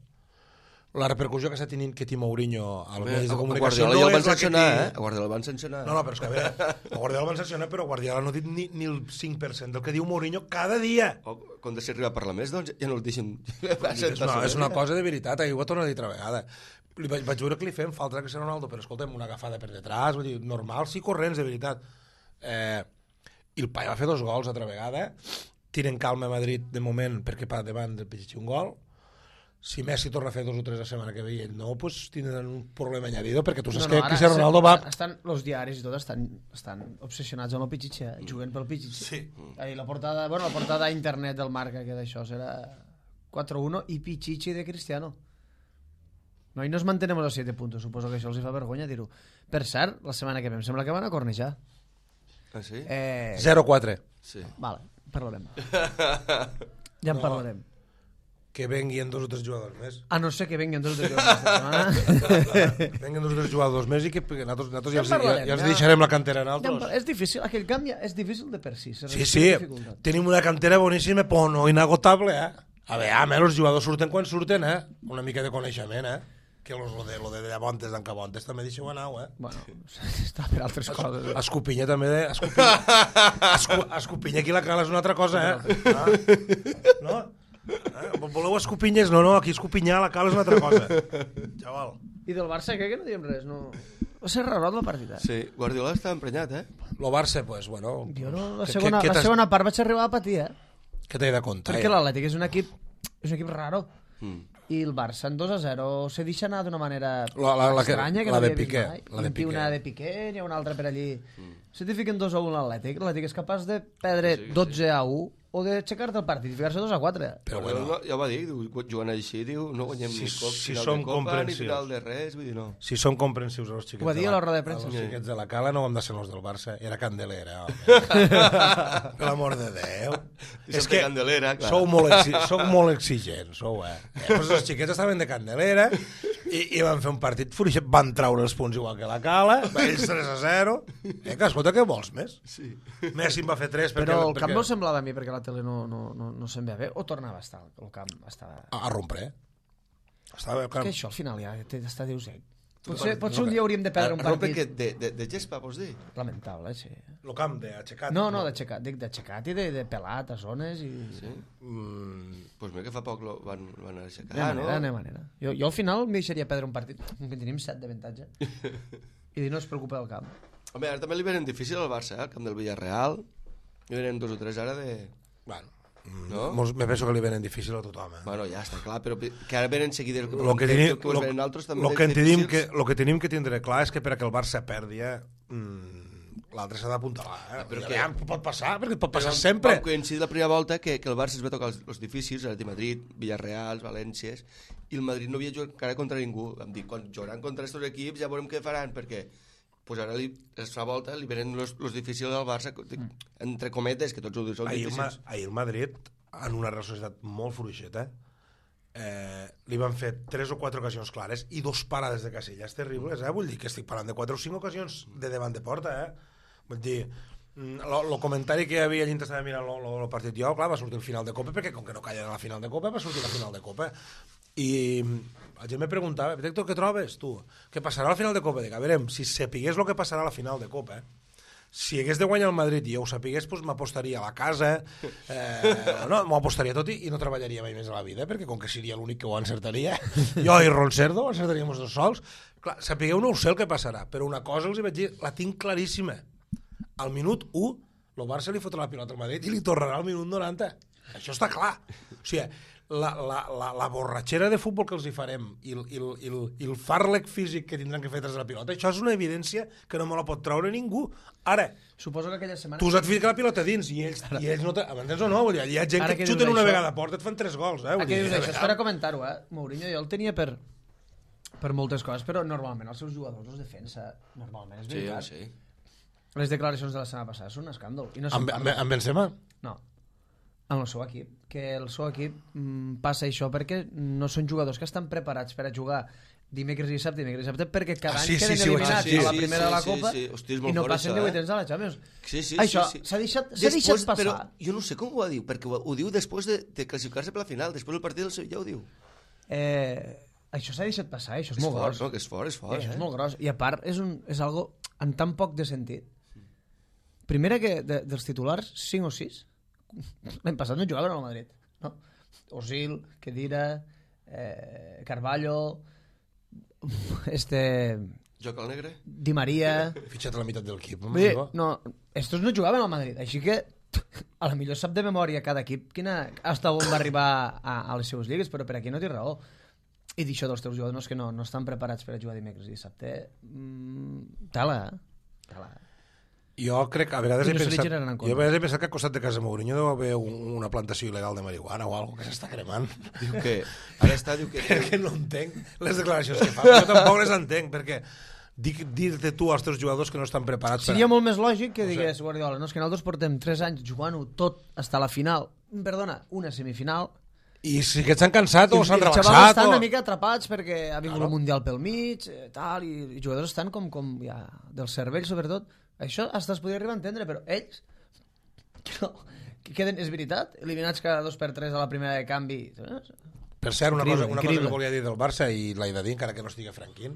La repercussió que està tenint que té Mourinho als mitjans de comunicació no és la que té... A Guardiola el van sancionar. No, però és que a veure, a Guardiola el van sancionar, però Guardiola no ha dit ni el 5% del que diu Mourinho cada dia. Quan deixi arribar a parlar més, doncs ja no el deixen... És una cosa de veritat, ho va tornar a dir altra vegada. Vaig veure que li fem falta a Cristiano Ronaldo, però escolta'm, una agafada per detrás, vull dir, normal, sí, corrents, de veritat. I el paio va fer 2 gols altra vegada, tiren calma a Madrid de moment perquè per davant del Pichichi un gol. Si Messi torna a fer 2 o 3 la setmana que ve i ell no, pues tindran un problema añadido, perquè tu saps que Cristiano Ronaldo va... Els diaris i tot estan obsessionats amb el Pichichi, juguen pel Pichichi. Sí. La portada a internet del Marca, que d'això serà 4-1 i Pichichi de Cristiano. No, i nos mantenemos a 7 puntos, suposo que això els fa vergonya dir-ho. Per cert, la setmana que ve em sembla que van a cornejar. Ah, sí? 0-4. Sí. Vale, parlarem. Ja en parlarem. Que venguin 2 o 3 jugadors més. A no ser que venguin 2 o 3 jugadors més. Venguin 2 o 3 jugadors més i que nosaltres ja els deixarem la cantera en altres. És difícil, aquell canvi és difícil de per si. Sí, tenim una cantera boníssima, però no inagotable, A veure, els jugadors surten quan surten, Una mica de coneixement, Que lo de Llabontes d'en Cabontes també deixeu anar, Bueno, està per altres coses. Escopinya també, Escopinya aquí la cala és una altra cosa, No? Voleu escopinyes? No, aquí escopinyar la cala és una altra cosa. Xaval. I del Barça, crec que no diem res, no? Va ser rarot la partida. Sí, Guardiola està emprenyat, Lo Barça, pues, bueno... Jo no, la segona part vaig arribar a patir, Què t'he de contar? Perquè l'Atlètic és un equip raro. I el Barça en 2-0 se deixa anar d'una manera estranya que no havia vist mai. Una de Piqué, n'hi ha una altra per allí. Si t'hi fiquen 2-1 l'Atlètic és capaç de perdre 12-1 o d'aixecar-te el partit i ficar-se 2-4. Però bueno, ja ho va dir, jugant així, diu, no guanyem ni final de Copa ni final de res, vull dir, no. Si som comprensius els xiquets, ho va dir a la roda de premsa. Els xiquets de la Cala no hem de ser els del Barça, era Candelera, home. Per l'amor de Déu. És que Candelera, clar. Sou molt exigents, Pues els xiquets estaven de Candelera i van fer un partit fluixet, van traure els punts igual que la Cala, ells 3-0. Escolta, què vols més? Messi en va fer 3 però el camp no semblava a mi perquè la tele no se'n ve bé, o tornava a estar el camp a rompre, que això al final ja t'està dius potser un dia hauríem de perdre un partit de gespa, vols dir? Lamentable, sí. El camp d'aixecat? No, d'aixecat i de pelat a zones i... Sí? Pues bé que fa poc van aixecar, no? De manera. Jo al final m'hi deixaria perdre un partit que tenim 7 d'avantatge i no es preocupa del camp. Home, ara també li venen difícil al Barça, el camp del Villarreal. Li venen 2 o 3 ara de... Bueno, me penso que li venen difícil a tothom. Bueno, ja està clar, però que ara venen seguides... El que tenim que tindre clar és que per a que el Barça perdi, l'altre s'ha d'apuntalar. Però Ja pot passar, perquè pot passar Però sempre. vam coincidir la primera volta que el Barça es va tocar els difícils, el de Madrid, Villarreal, Valències, i el Madrid no havia jugat encara contra ningú. Vam dir, quan jugaran contra aquests equips ja veurem què faran, perquè pues ara la volta li venen els difícils al Barça, entre cometes, que tots ho diuen, són difícils. Ahir el Madrid, en una societat molt fluixeta, li van fer 3 o 4 ocasions clares i 2 parades de Casillas terribles, vull dir que estic parlant de 4 o 5 ocasions de davant de porta, vull dir, el comentari que hi havia allà estava mirant el partit jo, clar, va sortir el final de Copa, perquè com que no callen a la final de Copa, va sortir la final de Copa, i la gent me preguntava, Héctor, què trobes tu? Què passarà a la final de Copa? Dic, a veure, si sapigués el que passarà a la final de Copa, si hagués de guanyar el Madrid i jo ho sapigués, doncs m'apostaria a la casa, no, m'ho apostaria tot i no treballaria mai més a la vida, perquè com que seria l'únic que ho encertaria, jo i Roncerdo ho encertaríem els dos sols. Clar, sapigueu, no ho sé el que passarà, però una cosa els hi vaig dir, la tinc claríssima. Al minut 1, el Barça li fotrà la pilota al Madrid i li tornarà al minut 90. Això està clar. O sigui, la borratxera de futbol que els hi farem i el fàrlec físic que tindran que fer tras la pilota, això és una evidència que no me la pot treure ningú. Ara, suposo que aquella setmana... tu has ficat la pilota dins i ells no... M'entens o no? Vull dir, hi ha gent que xuten una vegada a porta, et fan 3 gols. Ara que dius això, és per a comentar-ho, Mourinho jo el tenia per moltes coses, però normalment els seus jugadors els defensa, normalment, és veritat. Sí. Les declaracions de la setmana passada són un escàndol. I no Amb Benzema? No, amb el seu equip. Que el seu equip passa això perquè no són jugadors que estan preparats per a jugar dimecres i dissabte, perquè cada any queden eliminats a la primera de la Copa i no passen de vuitens de la Champions. Això s'ha deixat passar. Però jo no sé com ho diu, perquè ho diu després de classificar-se per la final, després del partit del Sevilla ho diu. Això s'ha deixat passar, això és molt gros. No, que és fort. Això és molt gros. I a part és algo en tan poc de sentit. Primera que dels titulars, 5 o 6, l'any passat no jugaven al Madrid, no? Osil, Khedira, Carvalho, Joc al negre? Di Di Maria... Fitxat a la meitat del equip. No, estos no jugaven al Madrid, així que a la millor sap de memòria cada equip hasta on va arribar a les seves lligues, però per aquí no té raó. I d'això dels teus jugadors que no estan preparats per a jugar dimecres i dissabte, tala. Jo crec que a vegades he pensat que al costat de casa Mourinho deu haver una plantació il·legal de marihuana o alguna que s'està cremant. Diu que... Ara està, diu que... Perquè no entenc les declaracions que fa. Jo tampoc les entenc, perquè dir-te tu als teus jugadors que no estan preparats... Seria molt més lògic que digués Guardiola, no, és que nosaltres portem 3 anys jugant-ho tot fins a la final. Perdona, una semifinal. I si que s'han cansat o s'han rebaixat... Els xavals estan una mica atrapats perquè ha vingut el Mundial pel mig, tal, i jugadors estan com ja, del cervell, sobretot. Això hasta es podria arribar a entendre, però ells que queden, és veritat, eliminats cada 2x3 a la primera de canvi. Per cert, una cosa que volia dir del Barça i l'he de dir, encara que no estigui Franquín,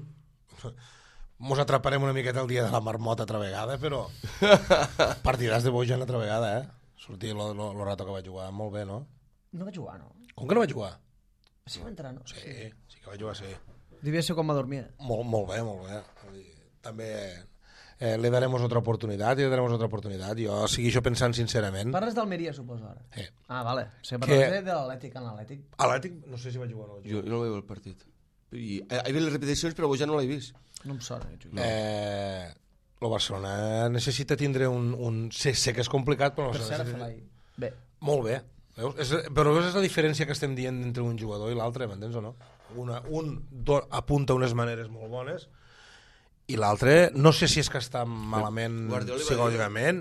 mos atraparem una miqueta el dia de la marmota altra vegada, però partidàs de Bojan altra vegada, sortir el rato que va jugar molt bé, no? No va jugar, no? Com que no va jugar? Sí va entrar, no? Sí que va jugar, sí. Devia ser com va dormir. Molt bé. També... le daremos otra oportunidad. Jo segueixo pensant sincerament. Parles d'Almeria, suposo, ara? Sí. Ah, vale. Se parles de l'Atlètic en l'Atlètic. Atlètic, no sé si va jugar o no. Jo no vaig veure el partit. He vist les repeticions, però ja no l'he vist. No em sona. El Barcelona necessita tindre un... Sé que és complicat, però... Per cert, bé. Molt bé. Però veus la diferència que estem dient entre un jugador i l'altre, m'entens o no? Un apunta unes maneres molt bones i l'altre, no sé si és que està malament psicològicament,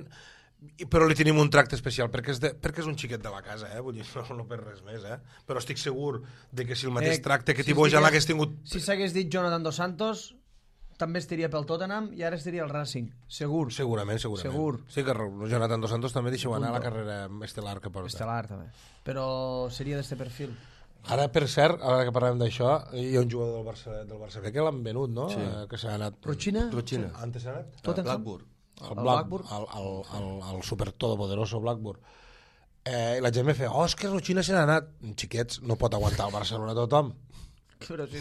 però li tenim un tracte especial perquè és un xiquet de la casa, vull dir, no per res més, però estic segur de que si el mateix tracte que Bojan l'hagués tingut... Si s'hagués dit Jonathan Dos Santos, també estaria pel Tottenham i ara estaria el Racing, segur. Segurament. Sí que Jonathan Dos Santos també deixeu anar a la carrera estel·lar que porta. Estel·lar, també. Però seria d'este perfil. Ara, per cert, ara que parlem d'això, hi ha un jugador del Barça que l'han venut, no? Sí. Que s'ha anat... Rochina? Antes s'ha anat? Blackburn. El super todopoderoso Blackburn. I la gent me feia, és que Rochina se n'ha anat. Xiquets, no pot aguantar el Barcelona tothom. Però sí,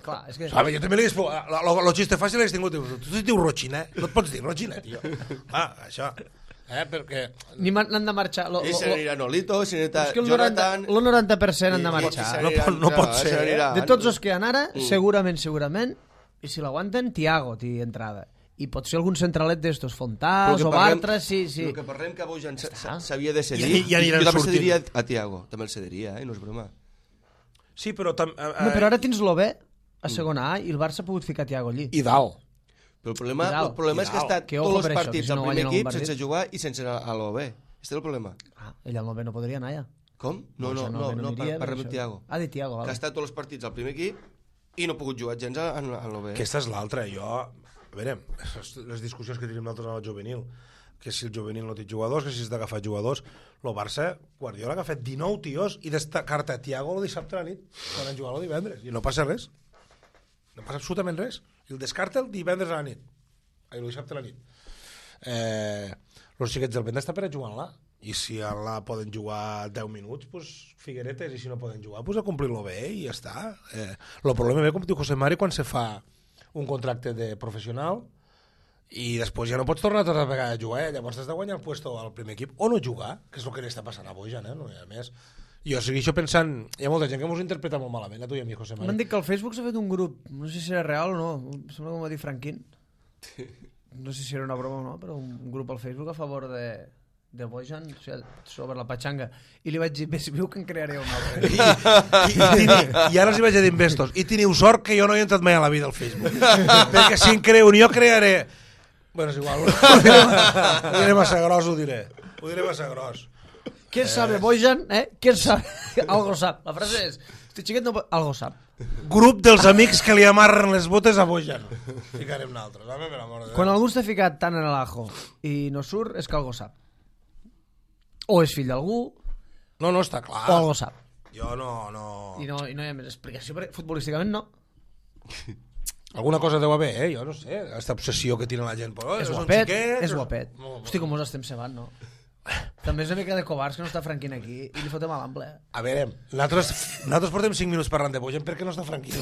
clar, és que... Jo també li dic, lo xiste fàcil l'hagués tingut. Tu dius Rochina, no et pots dir Rochina, tio. Això... perquè... Ni n'han de marxar. I se n'anirà Nolito, se n'anirà Jonathan... El 90% han de marxar. No pot ser. De tots els que han ara, segurament, i si l'aguanten, Thiago té entrada. i pot ser algun centralet d'estos, Fontàs o Bartra, sí. El que parlem que Bojan s'havia de cedir, I aniran jo també sortint. cediria a Thiago, també el cediria, no és broma. Sí, però... No, però ara tens l'Ové a segona A i el Barça ha pogut ficar Thiago allí. I dalt. Però el problema és que ha estat Que ojo tots per els això, partits que si al no primer guanyen equip algun sense jugar i sense anar a l'OB. Este és el problema. Ell al Nové no podria anar, ja. Com? No, parlem de Thiago. De Thiago, Que ha val. estat tots els partits al primer equip i no ha pogut jugar gens a l'OB. Aquesta és l'altra. Jo, a veure, les discussions que tenim nosaltres al juvenil, que si el juvenil no té jugadors, que si has d'agafar jugadors, el Barça, Guardiola, que ha fet 19 tios i destacar-te a Thiago el dissabte a la nit, quan han jugat el divendres, i no passa res. No passa absolutament res. I el descarta el divendres a la nit. El dissabte a la nit. Els xiquets del vent està per a jugar-la. I si la poden jugar 10 minuts, pues Figueretes, i si no poden jugar, pues a complir-lo bé i ja està. El problema ve, com diu José Mari, quan se fa un contracte de professional i després ja no pots tornar tota vegada a jugar, llavors has de guanyar el puesto al primer equip o no jugar, que és el que li està passant a Bojan, no hi ha més. Jo segueixo pensant, hi ha molta gent que m'ho interpreta molt malament, a tu i a mi, José Mari. M'han dit que al Facebook s'ha fet un grup, no sé si era real o no, sembla que m'ho va dir Franquín, no sé si era una broma o no, però un grup al Facebook a favor de Bojan, o sigui, sobre la patxanga, i li vaig dir, bé, si viu que en crearé un altre. I ara els hi vaig dir investos, i teniu sort que jo no he entrat mai a la vida al Facebook, perquè si en creu un jo crearé. Bueno, és igual, ho diré massa gros, ho diré massa gros. ¿Quién sabe, Bojan? ¿Quién sabe? Algo sap. La frase és, este xiquet no... Algo sap. Grup dels amics que li amarren les botes a Bojan. Ficarem nosaltres, home, per amor de Déu. Quan algú està ficat tant en l'ajo i no surt, és que algo sap. O és fill d'algú, No, està clar. o algo sap. Jo no... I no hi ha més explicació, perquè futbolísticament no. Alguna cosa deu haver, jo no sé. Aquesta obsessió que tiene la gent. Però, És són guapet, xiquets, és guapet. Hosti, com us estem cebant, no? També és una mica de covards que no està Franquín aquí i li fotem a l'ample. A veure, nosaltres portem 5 minuts parlant de Bojan perquè no està Franquín.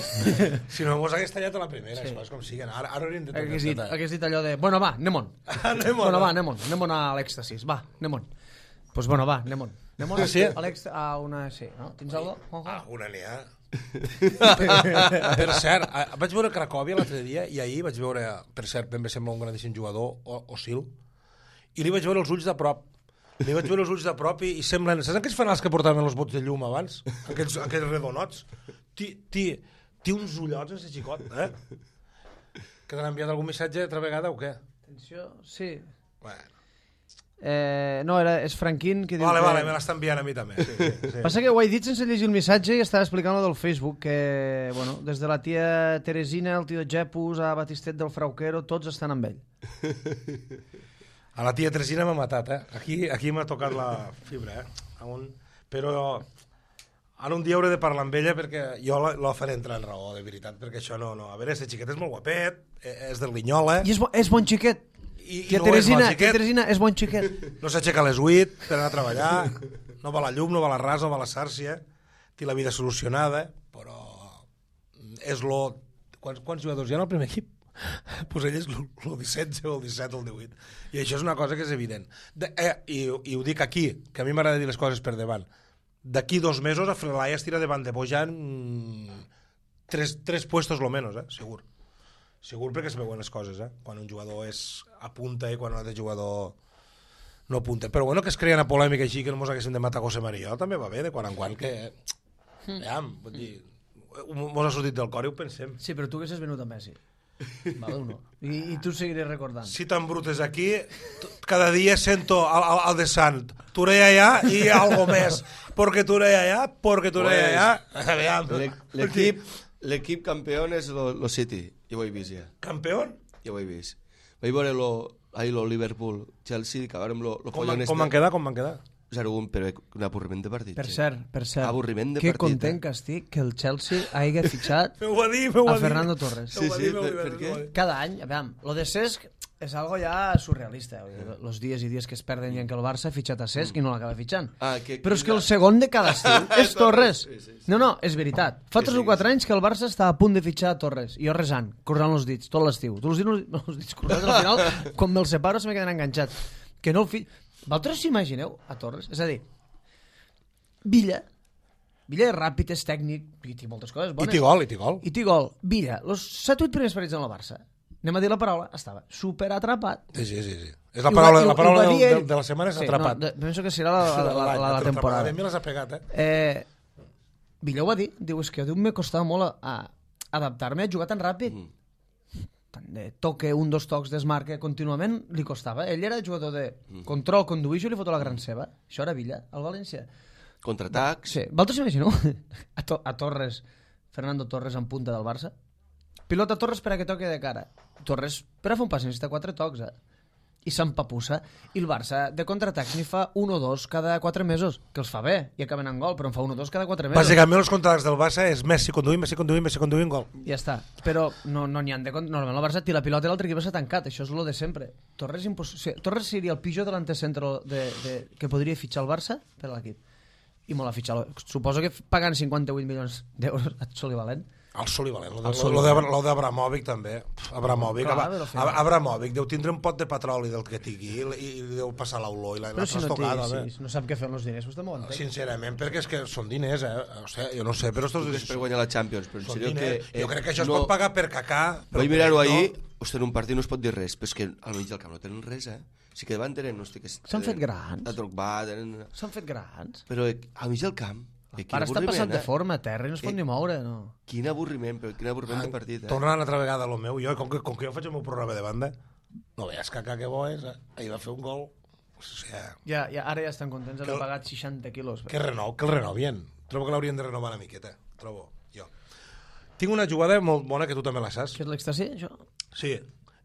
Si no, mos hagués tallat a la primera, sí. Com siguen. Ara hauríem de Hagués dit allò de, bueno, va, anem-on. Bueno, va, anem-on a l'èxtasis. Va, anem-on. Pues bueno, va, anem-on. Anem-on Sí. a una... Sí, no? Tens algo? Una n'hi ha. Per cert, vaig veure Cracòvia l'altre dia i ahir vaig veure, per cert, ben bé sembla un grandíssim jugador, Osil, i li vaig veure els ulls de prop. I semblen... Saps aquells fanals que portaven els bots de llum abans? Aquells redonots? Té uns ullots, ese xicot, Que t'han enviat algun missatge altra vegada o què? Atenció, sí. Bueno. No, és Franquín que diu Vale, que... me l'està enviant a mi també. Sí. Passa que ho he dit sense llegir el missatge i estava explicant lo del Facebook, que, bueno, des de la tia Teresina, el tio Jepus, a Batistet del Frauquero, tots estan amb ell. A la tia Teresina m'ha matat, Aquí m'ha tocat la fibra, Però ara un dia hauré de parlar amb ella perquè jo la faré entrar en raó, de veritat, perquè això no... A veure, aquest xiquet és molt guapet, és del Linyola... I és bon xiquet. I no Teresina és bon xiquet. No s'aixeca a les 8 per anar a treballar, no va a la llum, no va a la ras, no va a la sàrcia, té la vida solucionada, però és lo... Quants jugadors hi ha al primer equip? Pues ell és el 17 o el 17 o el 18. I això és una cosa que és evident. I ho dic aquí, que a mi m'agrada dir les coses per davant. D'aquí 2 mesos a Frelaya es tira davant de Bojan 3 puestos lo menos, segur. Segur perquè es veuen les coses, quan un jugador apunta i quan un altre jugador no apunta. Però bueno, que es creen a polèmica així, que no mos haguéssim de matar José María, també va bé, de quan en quan, que... vull dir, mos ha sortit del cor i ho pensem. Sí, però tu haguessis venut a Messi. Vale, no. I tu seguiré recordant. Si tan brut és aquí, cada dia sento al de Sant, Touré allà i algo més, porque Touré allà, L'equip campió és lo City, ja ho he vist ja. Campió? Ja ho he vist. Vaig veure lo Liverpool, Chelsea, que acabarem lo follon Com van quedar? 0-1, però un avorriment de partit. Per cert, avorriment de que partit. content que estic que el Chelsea hagi fitxat a Fernando Torres. Sí, per què? Cada any, a veure, lo de Cesc és algo ja surrealista. Los dies i dies que es perden i en què el Barça ha fitxat a Cesc i no l'acaba fitxant. Però és que el segon de cada estiu és Torres. No, és veritat. Fa 3 o 4 anys que el Barça està a punt de fitxar a Torres. I jo resant, cruzant els dits, tot l'estiu. Tots els dits cruzats, al final, quan me'ls separo se me queden enganxat. Que no el Vosaltres s'imagineu a Torres? És a dir, Villa és ràpid, és tècnic, i té moltes coses bones. I té gol. Villa, els 7-8 primers partits en el Barça, anem a dir la paraula, estava superatrapat. Sí. És la paraula de la setmana és atrapat. No, penso que serà la temporada. A mi les ha pegat, eh? Villa ho va dir, diu, és que me costava molt adaptar-me a jugar tan ràpid. Tant de toque, 1-2 tocs, desmarque, contínuament li costava. Ell era jugador de control, conduïixo i li foto la gran seva. Això era Villa, al València. Contraatacs. Sí, vosaltres imagineu a Torres, Fernando Torres en punta del Barça? Pilota Torres per a que toque de cara. Torres per a fer un pas necessita 4 tocs, i s'empapussa, i el Barça de contraatacs n'hi fa 1 o 2 cada 4 mesos, que els fa bé i acaben en gol, però en fa 1 o 2 cada 4 mesos. Bàsicament els contraatacs del Barça és Messi conduint, gol. Ja està, però no n'hi ha de... Normalment el Barça tira la pilota i l'altre equip s'ha tancat, això és lo de sempre. Torres seria el pitjor delante centro que podria fitxar el Barça per a l'equip, i molt a fitxar. Suposo que pagant 58 milions d'euros a Solivalent. El Solivalent, lo d'Abramovic també. Abramovic deu tindre un pot de petroli del que tingui i deu passar l'olor i la trastocada. Si no sap què fer amb els diners, vostè m'ho entén. Sincerament, perquè és que són diners, O sigui, jo no sé, però estos diners... Per guanyar la Champions, però en sèrio que... Jo crec que això es pot pagar per cacà. Vaig mirar-ho ahir, hosti, en un partit no es pot dir res, però és que al mig del camp no tenen res, Sí que davant tenen, hosti, que... S'han fet grans. S'han fet grans. Però al mig del camp... Ara està passant de forma a terra i no es pot ni moure, no? Quin avorriment de partit, Tornant una altra vegada a lo meu, jo, com que jo faig el meu programa de banda, no veies que bo és, ahir va fer un gol. O sigui, ara ja estan contents d'haver pagat 60 quilos. Que el renovien. Trobo que l'haurien de renovar una miqueta, trobo jo. Tinc una jugada molt bona que tu també la saps. Que és l'èxtasi, això? Sí,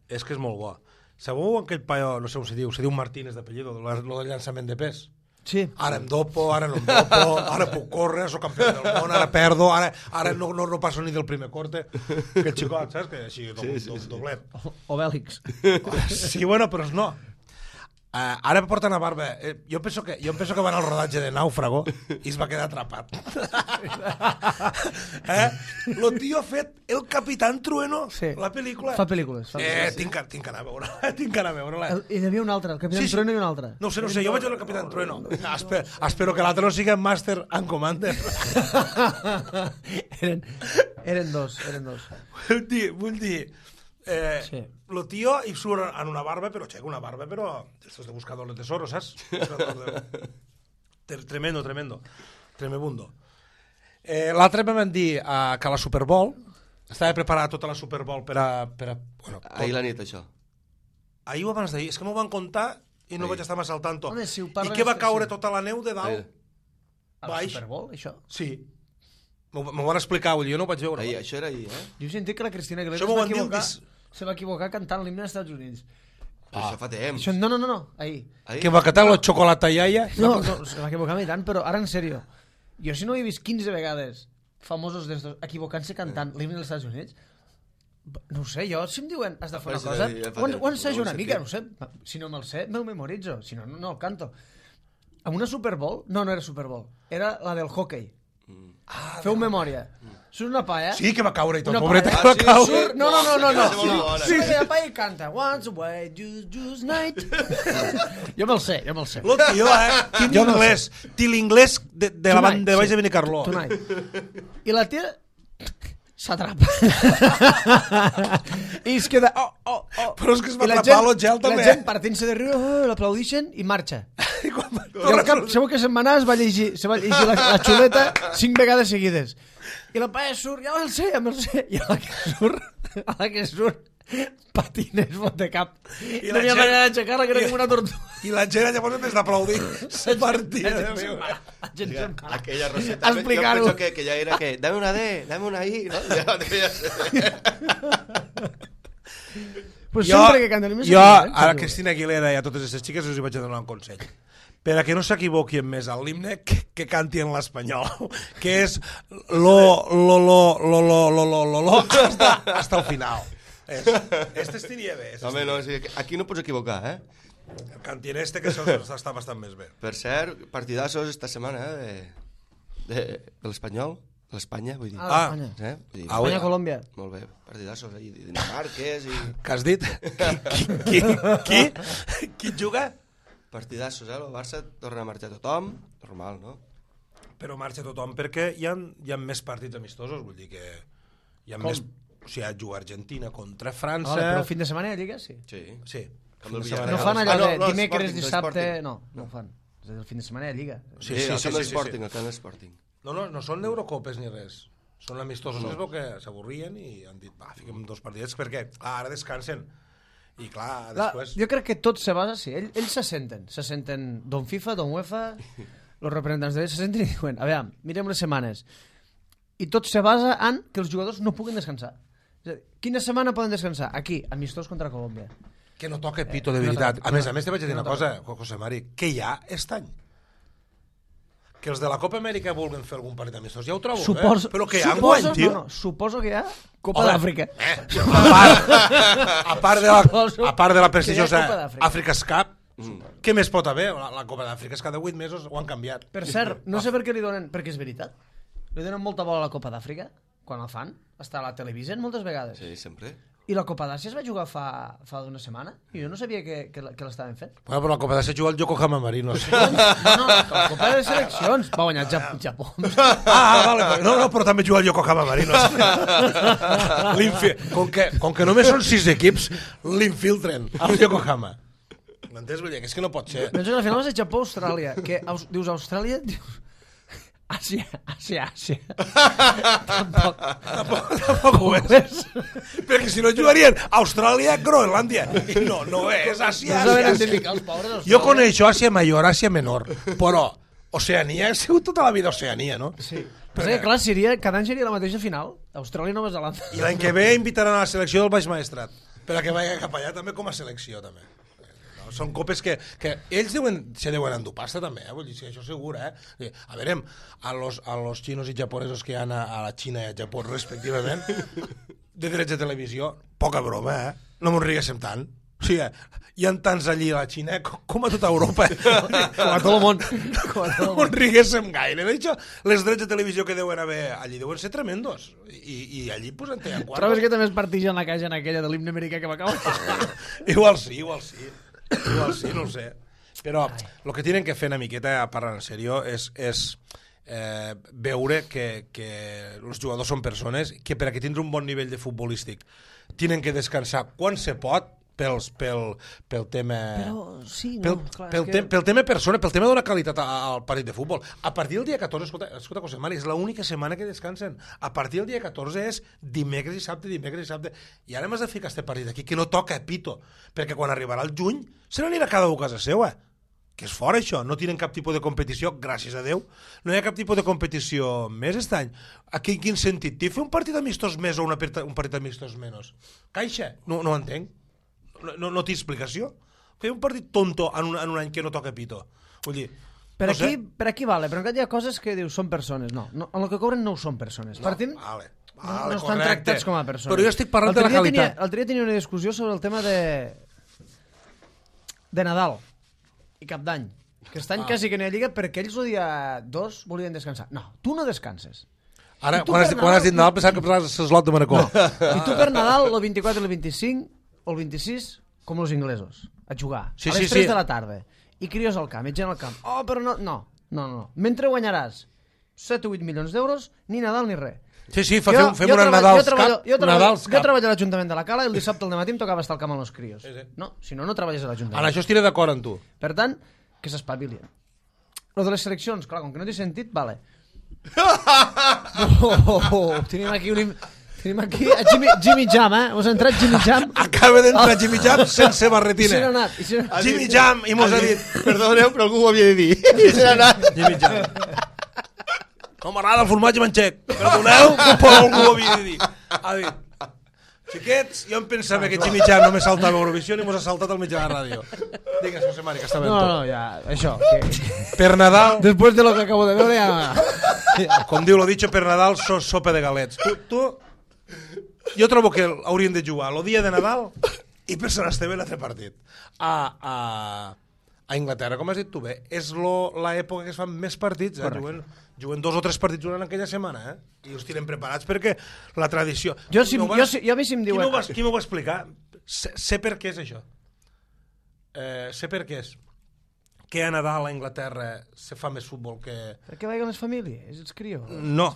és que és molt bo. Sabeu aquell paio, no sé com se diu Martínez d'apellido, el llançament de pes? Sí. Ara em dopo, ara no em dopo, ara puc córrer, soc campió del món, ara perdo, ara no passo ni del primer corte. Que el xicot, saps? Que així, doblet. O Bèlix. Sí, bueno, però no. Ara porten a barba. Jo penso que van al rodatge de Náufrago i es va quedar atrapat. Lo tio ha fet El Capitán Trueno, la pel·lícula. Fa pel·lícules. Tinc que anar a veure-la. Hi havia un altre, El Capitán Trueno i un altre. No sé, jo vaig veure El Capitán Trueno. Espero que l'altre no sigui Master and Commander. Eren dos. Vull dir... Lo tío i surt en una barba, però aixeca una barba, però estos de buscador de tesoros, saps? Tremendo. L'altre em van dir que la Super Bowl estava preparada tota la Super Bowl per a ahir la nit, això. Ahir o abans d'ahir, és que m'ho van contar i no vaig estar massa al tanto. Home, si I que va caure tota la neu de dalt. A la Super Bowl, això? Sí. M'ho van explicar, jo no ho vaig veure. Ahir, això era ahir, Jo he sentit que la Cristina Aguilera se va equivocar cantant l'himne dels Estats Units. Però això fa temps. No, ahir. Que va cantar la xocolata iaia? No, se va equivocar tant, però ara en sèrio. Jo si no he vist 15 vegades famosos d'estos equivocant-se cantant l'himne dels Estats Units, no ho sé, jo si em diuen has de fer una cosa, ho ensajo una mica, no sé, si no me'l sé, me'l memoritzo, si no, no el canto. Amb una Super Bowl? No era Super Bowl, era la del hockey. Feu memòria. Surt una palla. Sí, que va caure i tot. Pobreta que va caure. No. Sí, la palla i canta. Once away, just night. Jo me'l sé. Lo tio, jo anglès. Té l'inglès de la banda de baix de Benicarló. Tonight. I la tia s'atrapa. I es queda... Però és que es va atrapar l'Ogel també. La gent partint-se de riure, l'aplaudixen i marxa. I al cap, segur que se'n va anar, se va llegir la xuleta 5 vegades seguides. I la paia surt, ja me'l sé. I a la que surt, patines, fot de cap. I no hi ha manera d'aixecar-la, que era com una tortuga. I la gent llavors en vez d'aplaudir se partia de riure. Aquella Roseta, jo penso que ja era que dame una D, dame una I, no? Pues sempre que canten jo a la Cristina Aguilera i a totes aquestes xiques us hi vaig a donar un consell. Per a que no s'equivoquin més a l'himne, que canti en l'espanyol, que és lo hasta el final. Este estiria bé. Home, no, aquí no pots equivocar, El canti en este, que això està bastant més bé. Per cert, partidassos esta setmana, de l'Espanyol, l'Espanya, vull dir. L'Espanya. Espanya-Colòmbia. Molt bé, partidassos, i Dinamarques, i... Què has dit? Qui juga? Partidassos, el Barça torna a marxar tothom, normal, no? Però marxa tothom perquè hi ha més partits amistosos, vull dir que hi ha més... O sigui, juga Argentina contra França... Vale, però el fin de setmana hi ha Lliga, sí. Sí. Sí. Amb el Fin de Villarreal. No setmana. fan allò de no, dimecres, Sporting, dissabte... Sporting. No ho fan. És a dir, el fin de setmana hi ha Lliga. Sí, el sí, Camp sí, Sporting, sí. el Camp Sporting. No són d'Eurocopes ni res. Són amistosos que es veu que s'avorrien i han dit, va, fiquem 2 partidets, perquè ara descansen. I clar, després... Jo crec que tot se basa, sí, ells se senten don FIFA, don UEFA, els representants d'ells se senten i diuen, a veure, mirem les setmanes. I tot se basa en que els jugadors no puguin descansar. És a dir, quina setmana poden descansar? Aquí, amistós contra Colòmbia. Que no toca pito de no veritat. toca, A més, te vaig dir no una cosa, José Mari, que hi ha aquest any. Que els de la Copa Amèrica vulguin fer algun partit amistós, ja ho trobo, Suposo, però que hi ha enguany, tio. Suposo que hi ha Copa d'Àfrica. A part de la prestigiosa Que hi ha Copa d'Àfrica. Africa's Cup, què més pot haver? La Copa d'Àfrica és cada 8 mesos ho han canviat. Per cert, no sé per què li donen... Perquè és veritat. Li donen molta bola a la Copa d'Àfrica, quan la fan. Està a la televisió moltes vegades. Sí, sempre. I la Copa d'Àsia es va jugar fa d'una setmana i jo no sabia que l'estaven fent. Bueno, però la Copa d'Àsia juga el Yokohama Marinos. No, la Copa de Seleccions va guanyar el Japó. Vale, no, però també juga el Yokohama Marinos. Com que només són 6 equips, l'infiltren al Yokohama. M'entens? Vull dir, que és que no pot ser. Penso que al final va ser Japó-Austràlia, que dius Austràlia, dius... Àsia. Tampoc ho és. Perquè si no jugarien Austràlia, Groenlàndia. I no és Àsia. No saben identificar els pobres d'Austràlia. Jo coneixo Àsia Major, Àsia Menor, però Oceania ha sigut tota la vida Oceania, no? Sí. Però que, clar, cada any seria la mateixa final. Austràlia i Nova Zelanda. I l'any que ve invitaran a la selecció del Baix Maestrat, per a que vagi cap allà també com a selecció, també. Són copes que ells se deuen endur pasta també, vull dir, això segur, A veure, a los xinos i japonesos que hi ha a la Xina i al Japó respectivament, de drets de televisió, poca broma, no m'ho riguéssim tant. O sigui, hi ha tants allí a la Xina com a tota Europa. Com a tot el món. No m'ho riguéssim gaire. De hecho, les drets de televisió que deuen haver allí deuen ser tremendos. I allí pues en tenen quatre. Trobes que també es partixen la caixa en aquella de l'himne americà que va acabar? Igual sí. Igual sí, no ho sé. Però el que tienen que fer una miqueta, a parlar en sèrio, és veure que els jugadors són persones que per a que tindre un bon nivell de futbolístic tenen que descansar quan se pot pel tema... Però sí, no, clar, pel tema persona, pel tema d'una qualitat al partit de futbol. A partir del dia 14, escolta José Mari, és l'única setmana que descansen. A partir del dia 14 és dimecres i sabte. I ara m'has de ficar este partit aquí, que no toca pito, perquè quan arribarà el juny se n'anirà cada un a casa seva. Que és fora això, no tenen cap tipus de competició, gràcies a Déu, no hi ha cap tipus de competició més aquest any. Aquí, en quin sentit? T'hi fer un partit amistós més o un partit amistós menys? Caixa? No ho entenc. No té explicació. Fer un partit tonto en un any que no toca pito. Vull dir, per aquí vale, però encara hi ha coses que dius són persones. No, en el que cobren no ho són persones. Partint, vale, no estan tractats com a persones. Però jo estic parlant de la qualitat. L'altre dia tenia una discussió sobre el tema de Nadal i Cap d'Any. Que aquest any quasi que no hi ha lliga perquè ells el dia 2 volien descansar. No, tu no descanses. Ara, quan has dit Nadal, pensava que parlaves de l'Eslot de Manacor. I tu per Nadal, el 24 i el 25... o el 26, com els inglesos, a jugar, a les 3 de la tarda, i crios al camp, i gent al camp. Oh, però no. Mentre guanyaràs 7 o 8 milions d'euros, ni Nadal ni res. Sí, fem una Nadals Cup. Jo treballo a l'Ajuntament de la Cala i el dissabte al matí em tocava estar al camp amb els crios. No, si no treballes a l'Ajuntament. En això estiré d'acord amb tu. Per tant, que s'espavilien. Lo de les seleccions, clar, com que no t'he sentit, vale. Tenim aquí a Jimmy Jam, Us ha entrat Jimmy Jam? Acaba d'entrar Jimmy Jam sense barretina. Jimmy Jam, i mos ha dit... Perdoneu, però algú ho havia de dir. I se n'ha anat. Jimmy Jam. Com m'agrada el formatge manxec. Perdoneu, però algú ho havia de dir. Ha dit... Xiquets, jo em pensava que Jimmy Jam només saltava a Eurovisió i mos ha saltat al mig de la ràdio. Digues, José Mari, que està ben tot. No, ja, això. Per Nadal... Després de lo que acabo de veure, ja... Com diu lo dicho, per Nadal sopa de galets. Tu... Jo trobo que haurien de jugar el dia de Nadal i per Sant Esteve l'altre partit. A Inglaterra, com has dit tu bé, és l'època que es fan més partits, juguen 2 o 3 partits durant aquella setmana, i els tenen preparats perquè la tradició... Jo a mi si em diuen... Qui m'ho va explicar? Sé per què és això. Sé per què és. Que a Nadal a Anglaterra se fa més futbol que... Per què vagin les famílies? Els crios? No.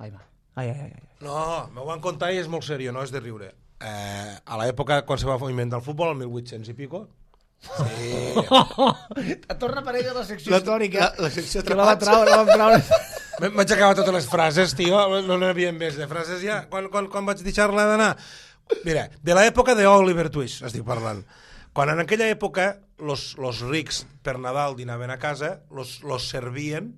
Ai, va. Ai. No, m'ho van contar i és molt seriós, no és de riure. A l'època, quan se va inventar el futbol, el 1800 i pico, sí. Torna a aparèixer la secció històrica. La secció que la va traure. Vaig acabar totes les frases, tio, no n'hi havia més de frases ja. Quan vaig deixar-la d'anar? Mira, de l'època d'Oliver Twist estic parlant. Quan en aquella època los rics per Nadal dinaven a casa, los servien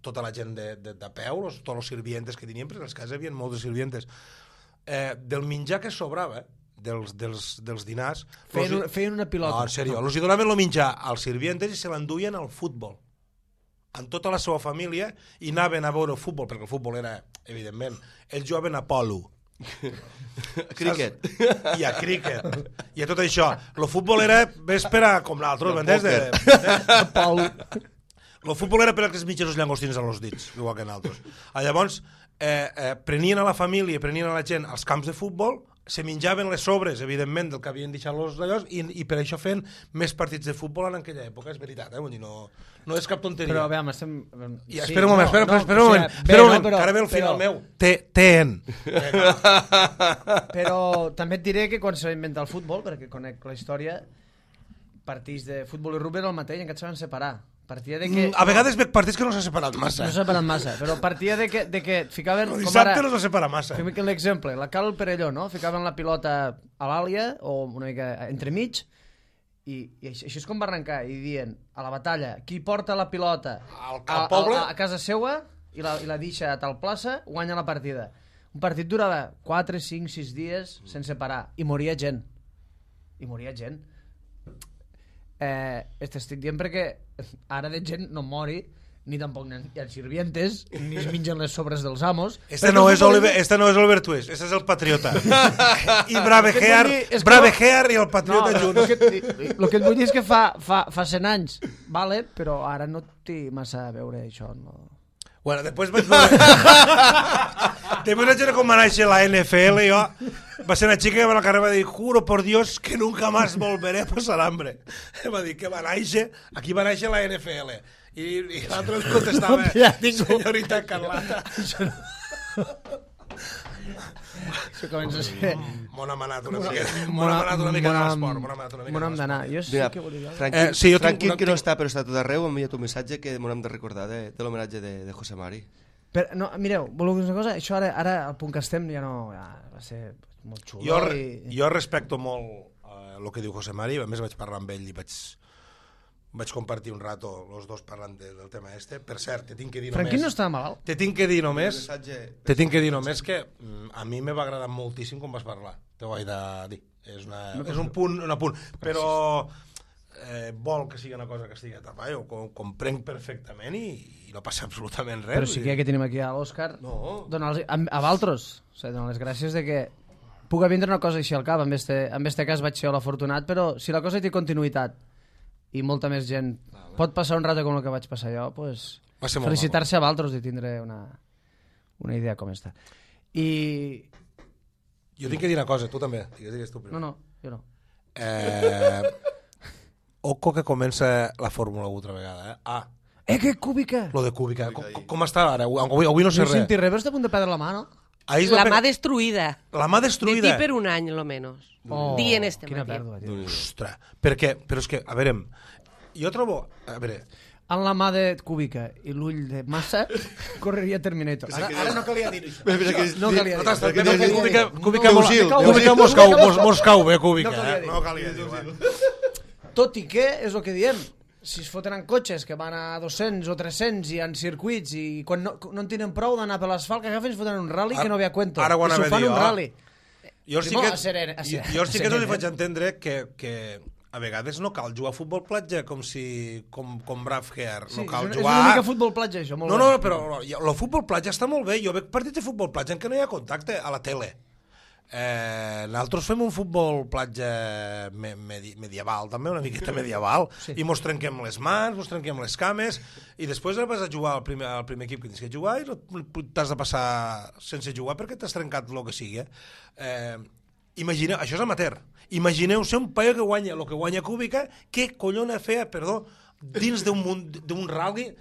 tota la gent de peu, tots els sirvientes que tenien, perquè a les cases hi havia molts sirvientes. Del menjar que sobrava, dels dinars... Feien una pilota. No, en sèrio, els hi donaven el menjar als sirvientes i se l'enduien al futbol. Amb tota la seva família, i anaven a veure el futbol, perquè el futbol era, evidentment, ells jugaven a polo. Cricket. I a cricket. I a tot això. El futbol era véspera com l'altre, m'entens? Pol. El futbol era per als mitjans llangostins als dits, igual que nosaltres. Llavors, prenien a la família, prenien a la gent als camps de futbol, se menjaven les sobres, evidentment, del que havien deixat els d'allò, i per això feien més partits de futbol en aquella època, és veritat, vull dir, no és cap tonteria. Però, veure, estem... Sí, espera un moment, espera un moment, que ara ve el final meu. TN. Però també et diré que quan se va inventar el futbol, perquè conec la història, partits de futbol i rugby era el mateix, encara se van separar. Partia de que... A vegades veig partits que no s'ha separat massa. No s'ha separat massa, però partia de que ficaven... El dissabte no s'ha separat massa. Fem l'exemple, la Cal Perelló, no? Ficaven la pilota a l'àlia, o una mica entremig, i això és com va arrencar, i dient, a la batalla, qui porta la pilota al poble a casa seua i la deixa a tal plaça, guanya la partida. Un partit durava 4, 5, 6 dies sense parar, i moria gent. Estic dient perquè ara de gent no mori, ni tampoc hi ha sirvientes, ni es mengen les sobres dels amos. Este no és Oliver Twist, este és el Patriota. I Braveheart i el Patriota junts. El que et vull dir és que fa 100 anys, vale, però ara no té massa a veure això. No. Bueno, després vaig veure... Després vaig veure com va néixer la NFL, jo... Va ser una xica que va al carrer i va dir juro por Dios que nunca más volveré a pasar hambre. Va dir que va néixer... Aquí va néixer la NFL. I l'altre ens contestava senyorita Carlata. Això comença a ser... M'ho hem anat una mica de l'esport. M'ho hem d'anar. Jo sí que volia... Tranquil que no està, però està tot arreu, m'ha enviat un missatge que m'ho hem de recordar de l'homenatge de José Mari. Però, no, mireu, voleu dir una cosa? Això ara al punt que estem ja no... Ja va ser molt xulo. Jo respecto molt el que diu José Mari, a més vaig parlar amb ell i vaig compartir un rato els dos parlant del tema este. Per cert, te tinc que dir només... Franquín no estava malalt? Te tinc que dir només que a mi me va agradar moltíssim com vas parlar. Te ho vaig de dir. És un punt, però vol que sigui una cosa que estigui atrapada, jo ho comprenc perfectament i no passa absolutament res. Però sí que tenim aquí a l'Òscar, a Valtros, donar les gràcies de que puc vindre una cosa així al cap. En este cas vaig ser l'afortunat, però si la cosa té continuïtat i molta més gent pot passar un rato com el que vaig passar jo, pues, felicitar-se a Valtros de tindre una idea com esta. I... Jo tinc que dir una cosa, tu també. Digues tu primer. No, jo no. Oco que comença la Fórmula 1 altra vegada, que Kubica! Lo de Kubica. Com està ara? Avui no sé res. No senti res, però està a punt de perdre la mà, no? La mà destruïda. La mà destruïda. De ti per un any, lo menos. Dient este quina matí. pèrdua, tio. Ostres, però és que, a veure, jo trobo... A veure... En la mà de Kubica i l'ull de Massa, correria Terminator. Ara no calia dir això. No calia dir. Kubica Moscou, Kubica. No calia dir. Tot i que, és el que diem, si es foten en cotxes que van a 200 o 300 i en circuits i quan no en tenen prou d'anar per l'asfalt, que agafen i es foten un rally que no ve a cuento. Ara ho anava a dir, un rally. Jo sí que no li faig entendre que a vegades no cal jugar a futbol platja com Braveheart. No cal jugar... És una mica futbol platja, això. No, però el futbol platja està molt bé. Jo veig partits de futbol platja en què no hi ha contacte a la tele. Nosaltres fem un futbol platja medieval també, una miqueta medieval, i mos trenquem les mans, mos trenquem les cames i després vas a jugar al primer equip que tens que jugar i t'has de passar sense jugar perquè t'has trencat el que sigui. Imagineu, això és amateur, imagineu-se un paio que guanya el que guanya Kubica, què collona feia, dins d'un rally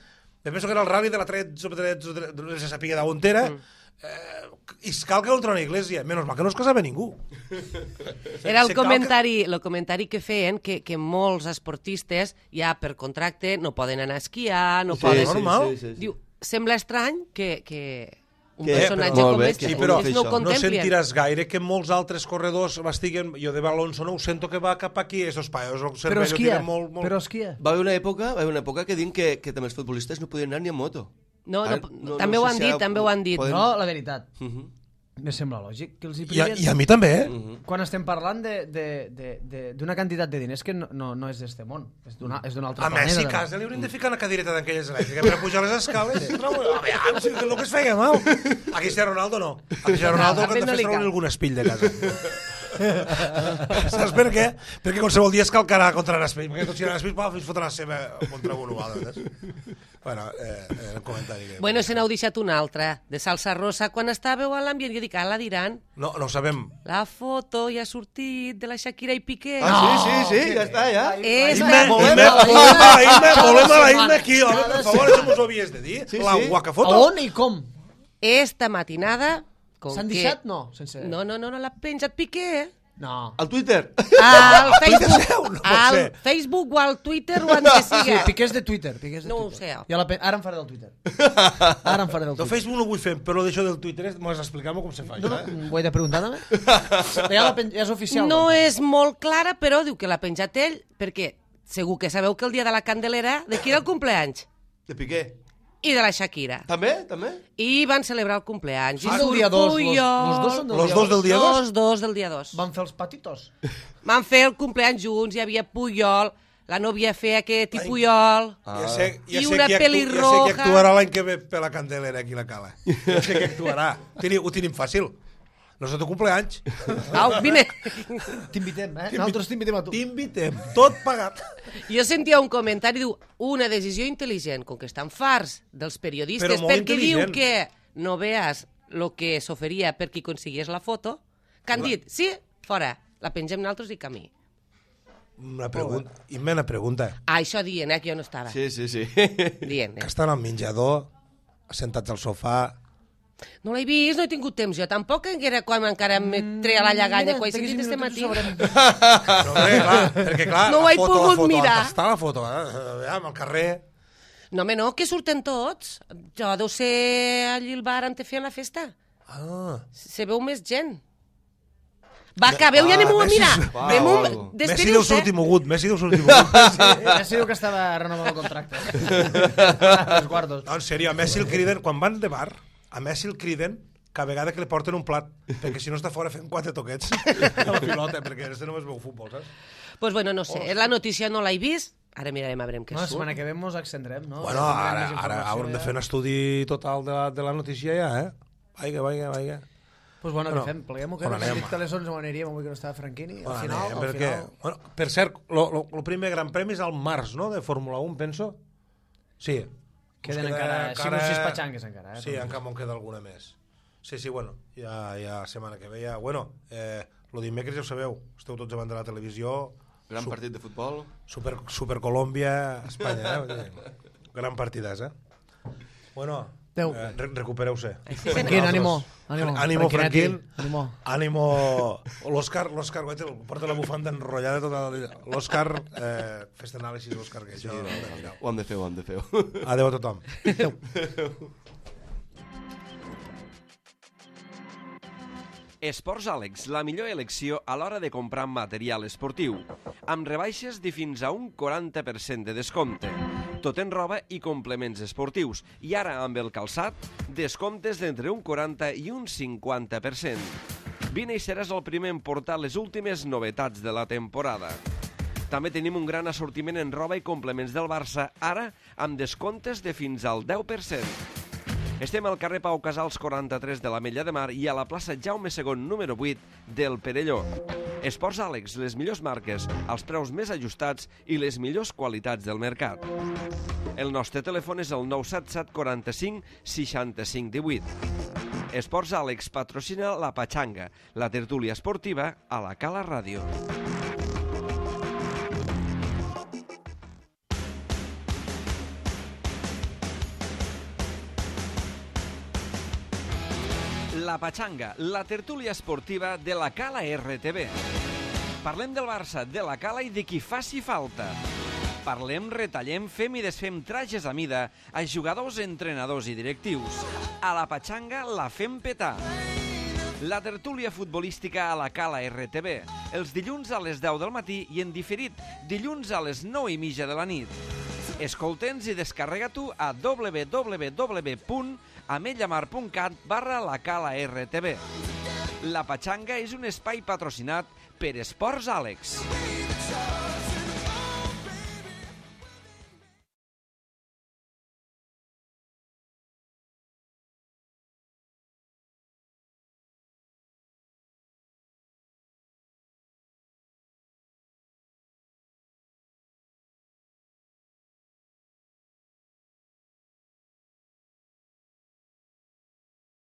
penso que era el rally de la 13, no se sapia d'on era, i cal que ultra una iglesia. Menys mal que no es casava ningú. Era el comentari que feien que molts esportistes ja per contracte no poden anar a esquiar, no poden... normal. Diu, sembla estrany que un Que, personatge però, com molt bé, este que però no ho això. no contemplien. sentiràs gaire que molts altres corredors estiguen... Jo de Alonso no ho sento que va cap aquí, esos països, el Però cervello esquia, tira molt... però esquia. Va haver una època que diuen que també els futbolistes no podien anar ni a moto. No, Ara, també ho sé han si dit, també ho han dit. poden- No, la veritat. Mhm. Me sembla lògic que els hi I privien. a mi també, Quan estem parlant d'una quantitat de diners que no és d'este món, és d'un altre A planeta. Messi casa li haurien de ficar una cadireta d'aquelles elèctriques per a pujar les escales. A veure, si el que es feia mal. A Cristiano Ronaldo no. A Cristiano Ronaldo el que han de fer és treure algun espill de casa. Saps per què? Perquè qualsevol dia es calcarà contra l'espill. Perquè tot si l'espill fins fotre la seva contra un altre. Bueno, el comentari que... Bueno, se n'heu deixat una altra, de salsa rosa. Quan estàveu a l'ambient, jo dic, la diran. No ho sabem. La foto ja ha sortit de la Shakira i Piqué. Sí, ja està, ja. Volem a la Imma aquí, home, per favor, això m'ho havies de dir. La guaca A foto. on i com? Esta matinada... com S'han que- deixat? No, sense... No, l'ha penjat Piqué. No. Al Twitter. Al Facebook, no pot al ser. Facebook o al Twitter o on que Sí, siga. Piqué és de Twitter. No ho sé. Ara em faré del Twitter. Ara em faré del De Twitter. Facebook no ho vull fer, però d'això del Twitter m'ho has d'explicar com se fa. No, això, ho he de preguntar també? Ja és oficial. No doncs. és molt clara, però diu que l'ha penjat ell, perquè segur que sabeu que el dia de la Candelera, de qui era el compleanys? De Piqué. I de la Shakira. També? I van celebrar el compleanys. Ah, I del dia 2. Puyol. Los dos són del Los dia dos del dia 2? Los dos del dia 2. Van fer els patitos. Van fer el compleanys junts, hi havia Puyol, la nòvia feia aquest i Puyol. Ja sé I una qui pelirroja. actuarà l'any que ve per la Candelera aquí a la Cala. Ja sé qui actuarà. Ho tenim fàcil. No és el teu compleanys. Au, vine. T'invitem, Nosaltres t'invitem a tu. T'invitem. Tot pagat. Jo sentia un comentari, diu, una decisió intel·ligent, com que estan farts dels periodistes, Però molt perquè diu intel·ligent. que no veas lo que s'oferia per qui consigués la foto, que han dit, sí, fora, la pengem nosaltres i camí. Una pregunta. Ah, això dient, que jo no estava. Sí. Dient, Que estan al menjador, assentats al sofà... No l'he vist, no he tingut temps. Jo tampoc era quan encara em treia la lleganya, quan he sentit este matí. No, perquè clar, No ho la he foto, pogut mirar. Està la foto, amb el carrer... No, home, no, que surten tots. Jo deu ser allí al bar on te feien la festa. Se veu més gent. Va, que veu, ja anem a mirar. Messi deu Despediu-se. sortir mogut, Messi deu sortir mogut. Messi diu que estava renovant el contracte. Els guardos. No, en sèrio, a Messi el criden, quan van de bar, a Messi el criden cada vegada que li porten un plat, perquè si no està fora fent 4 toquets a la pilota, perquè este només veu futbol, saps? Pues bueno, no sé, la notícia no l'he vist, ara mirarem a veure què No, la surt. setmana que ve mos extendrem, no? Bueno, ara haurem de fer un estudi total de la notícia ja, Vaiga. Pues bueno, què fem? Pleguem-ho, que on hem anem? dit que a les 11 ho aniríem, avui que no estava Franquini. Al final, Bueno, per cert, el primer gran premi és al març, no?, de Fórmula 1, penso. Sí. Queden encara 5 o 6 patxangues encara. Sí, encara me'n queda alguna més. Sí, bueno, ja setmana que ve ja... Bueno, lo dimecres ja ho sabeu, esteu tots davant de la televisió. Gran partit de futbol. Super Colòmbia, Espanya, gran partidàs, Bueno, recupereu-se. Franquín, ànimo. Ànimo, Franquín. Ànimo. L'Òscar, porta la bufanda enrotllada tota la... L'Òscar, fes anàlisis, l'Òscar, que això... Ho hem de fer. Adéu a tothom. Esports Àlex, la millor elecció a l'hora de comprar material esportiu, amb rebaixes de fins a un 40% de descompte. Tot en roba i complements esportius, i ara amb el calçat, descomptes d'entre un 40 i un 50%. Vine i seràs el primer en portar les últimes novetats de la temporada. També tenim un gran assortiment en roba i complements del Barça, ara amb descomptes de fins al 10%. Estem al carrer Pau Casals 43 de l'Ametlla de Mar i a la plaça Jaume II número 8 del Perelló. Esports Àlex, les millors marques, els preus més ajustats i les millors qualitats del mercat. El nostre telèfon és el 977 45 65 18. Esports Àlex patrocina la Patxanga, la tertúlia esportiva a la Cala Ràdio. La Patxanga, la tertúlia esportiva de la Cala RTV. Parlem del Barça, de la Cala i de qui faci falta. Parlem, retallem, fem i desfem trajes a mida a jugadors, entrenadors i directius. A La Patxanga la fem petar. La tertúlia futbolística a la Cala RTV, els dilluns a les 10 del matí i en diferit dilluns a les 9:30 de la nit. Escolta'ns i descarrega-t'ho a www.ametlllamar.cat/la Cala RTV. La Patxanga és un espai patrocinat per Esports Àlex.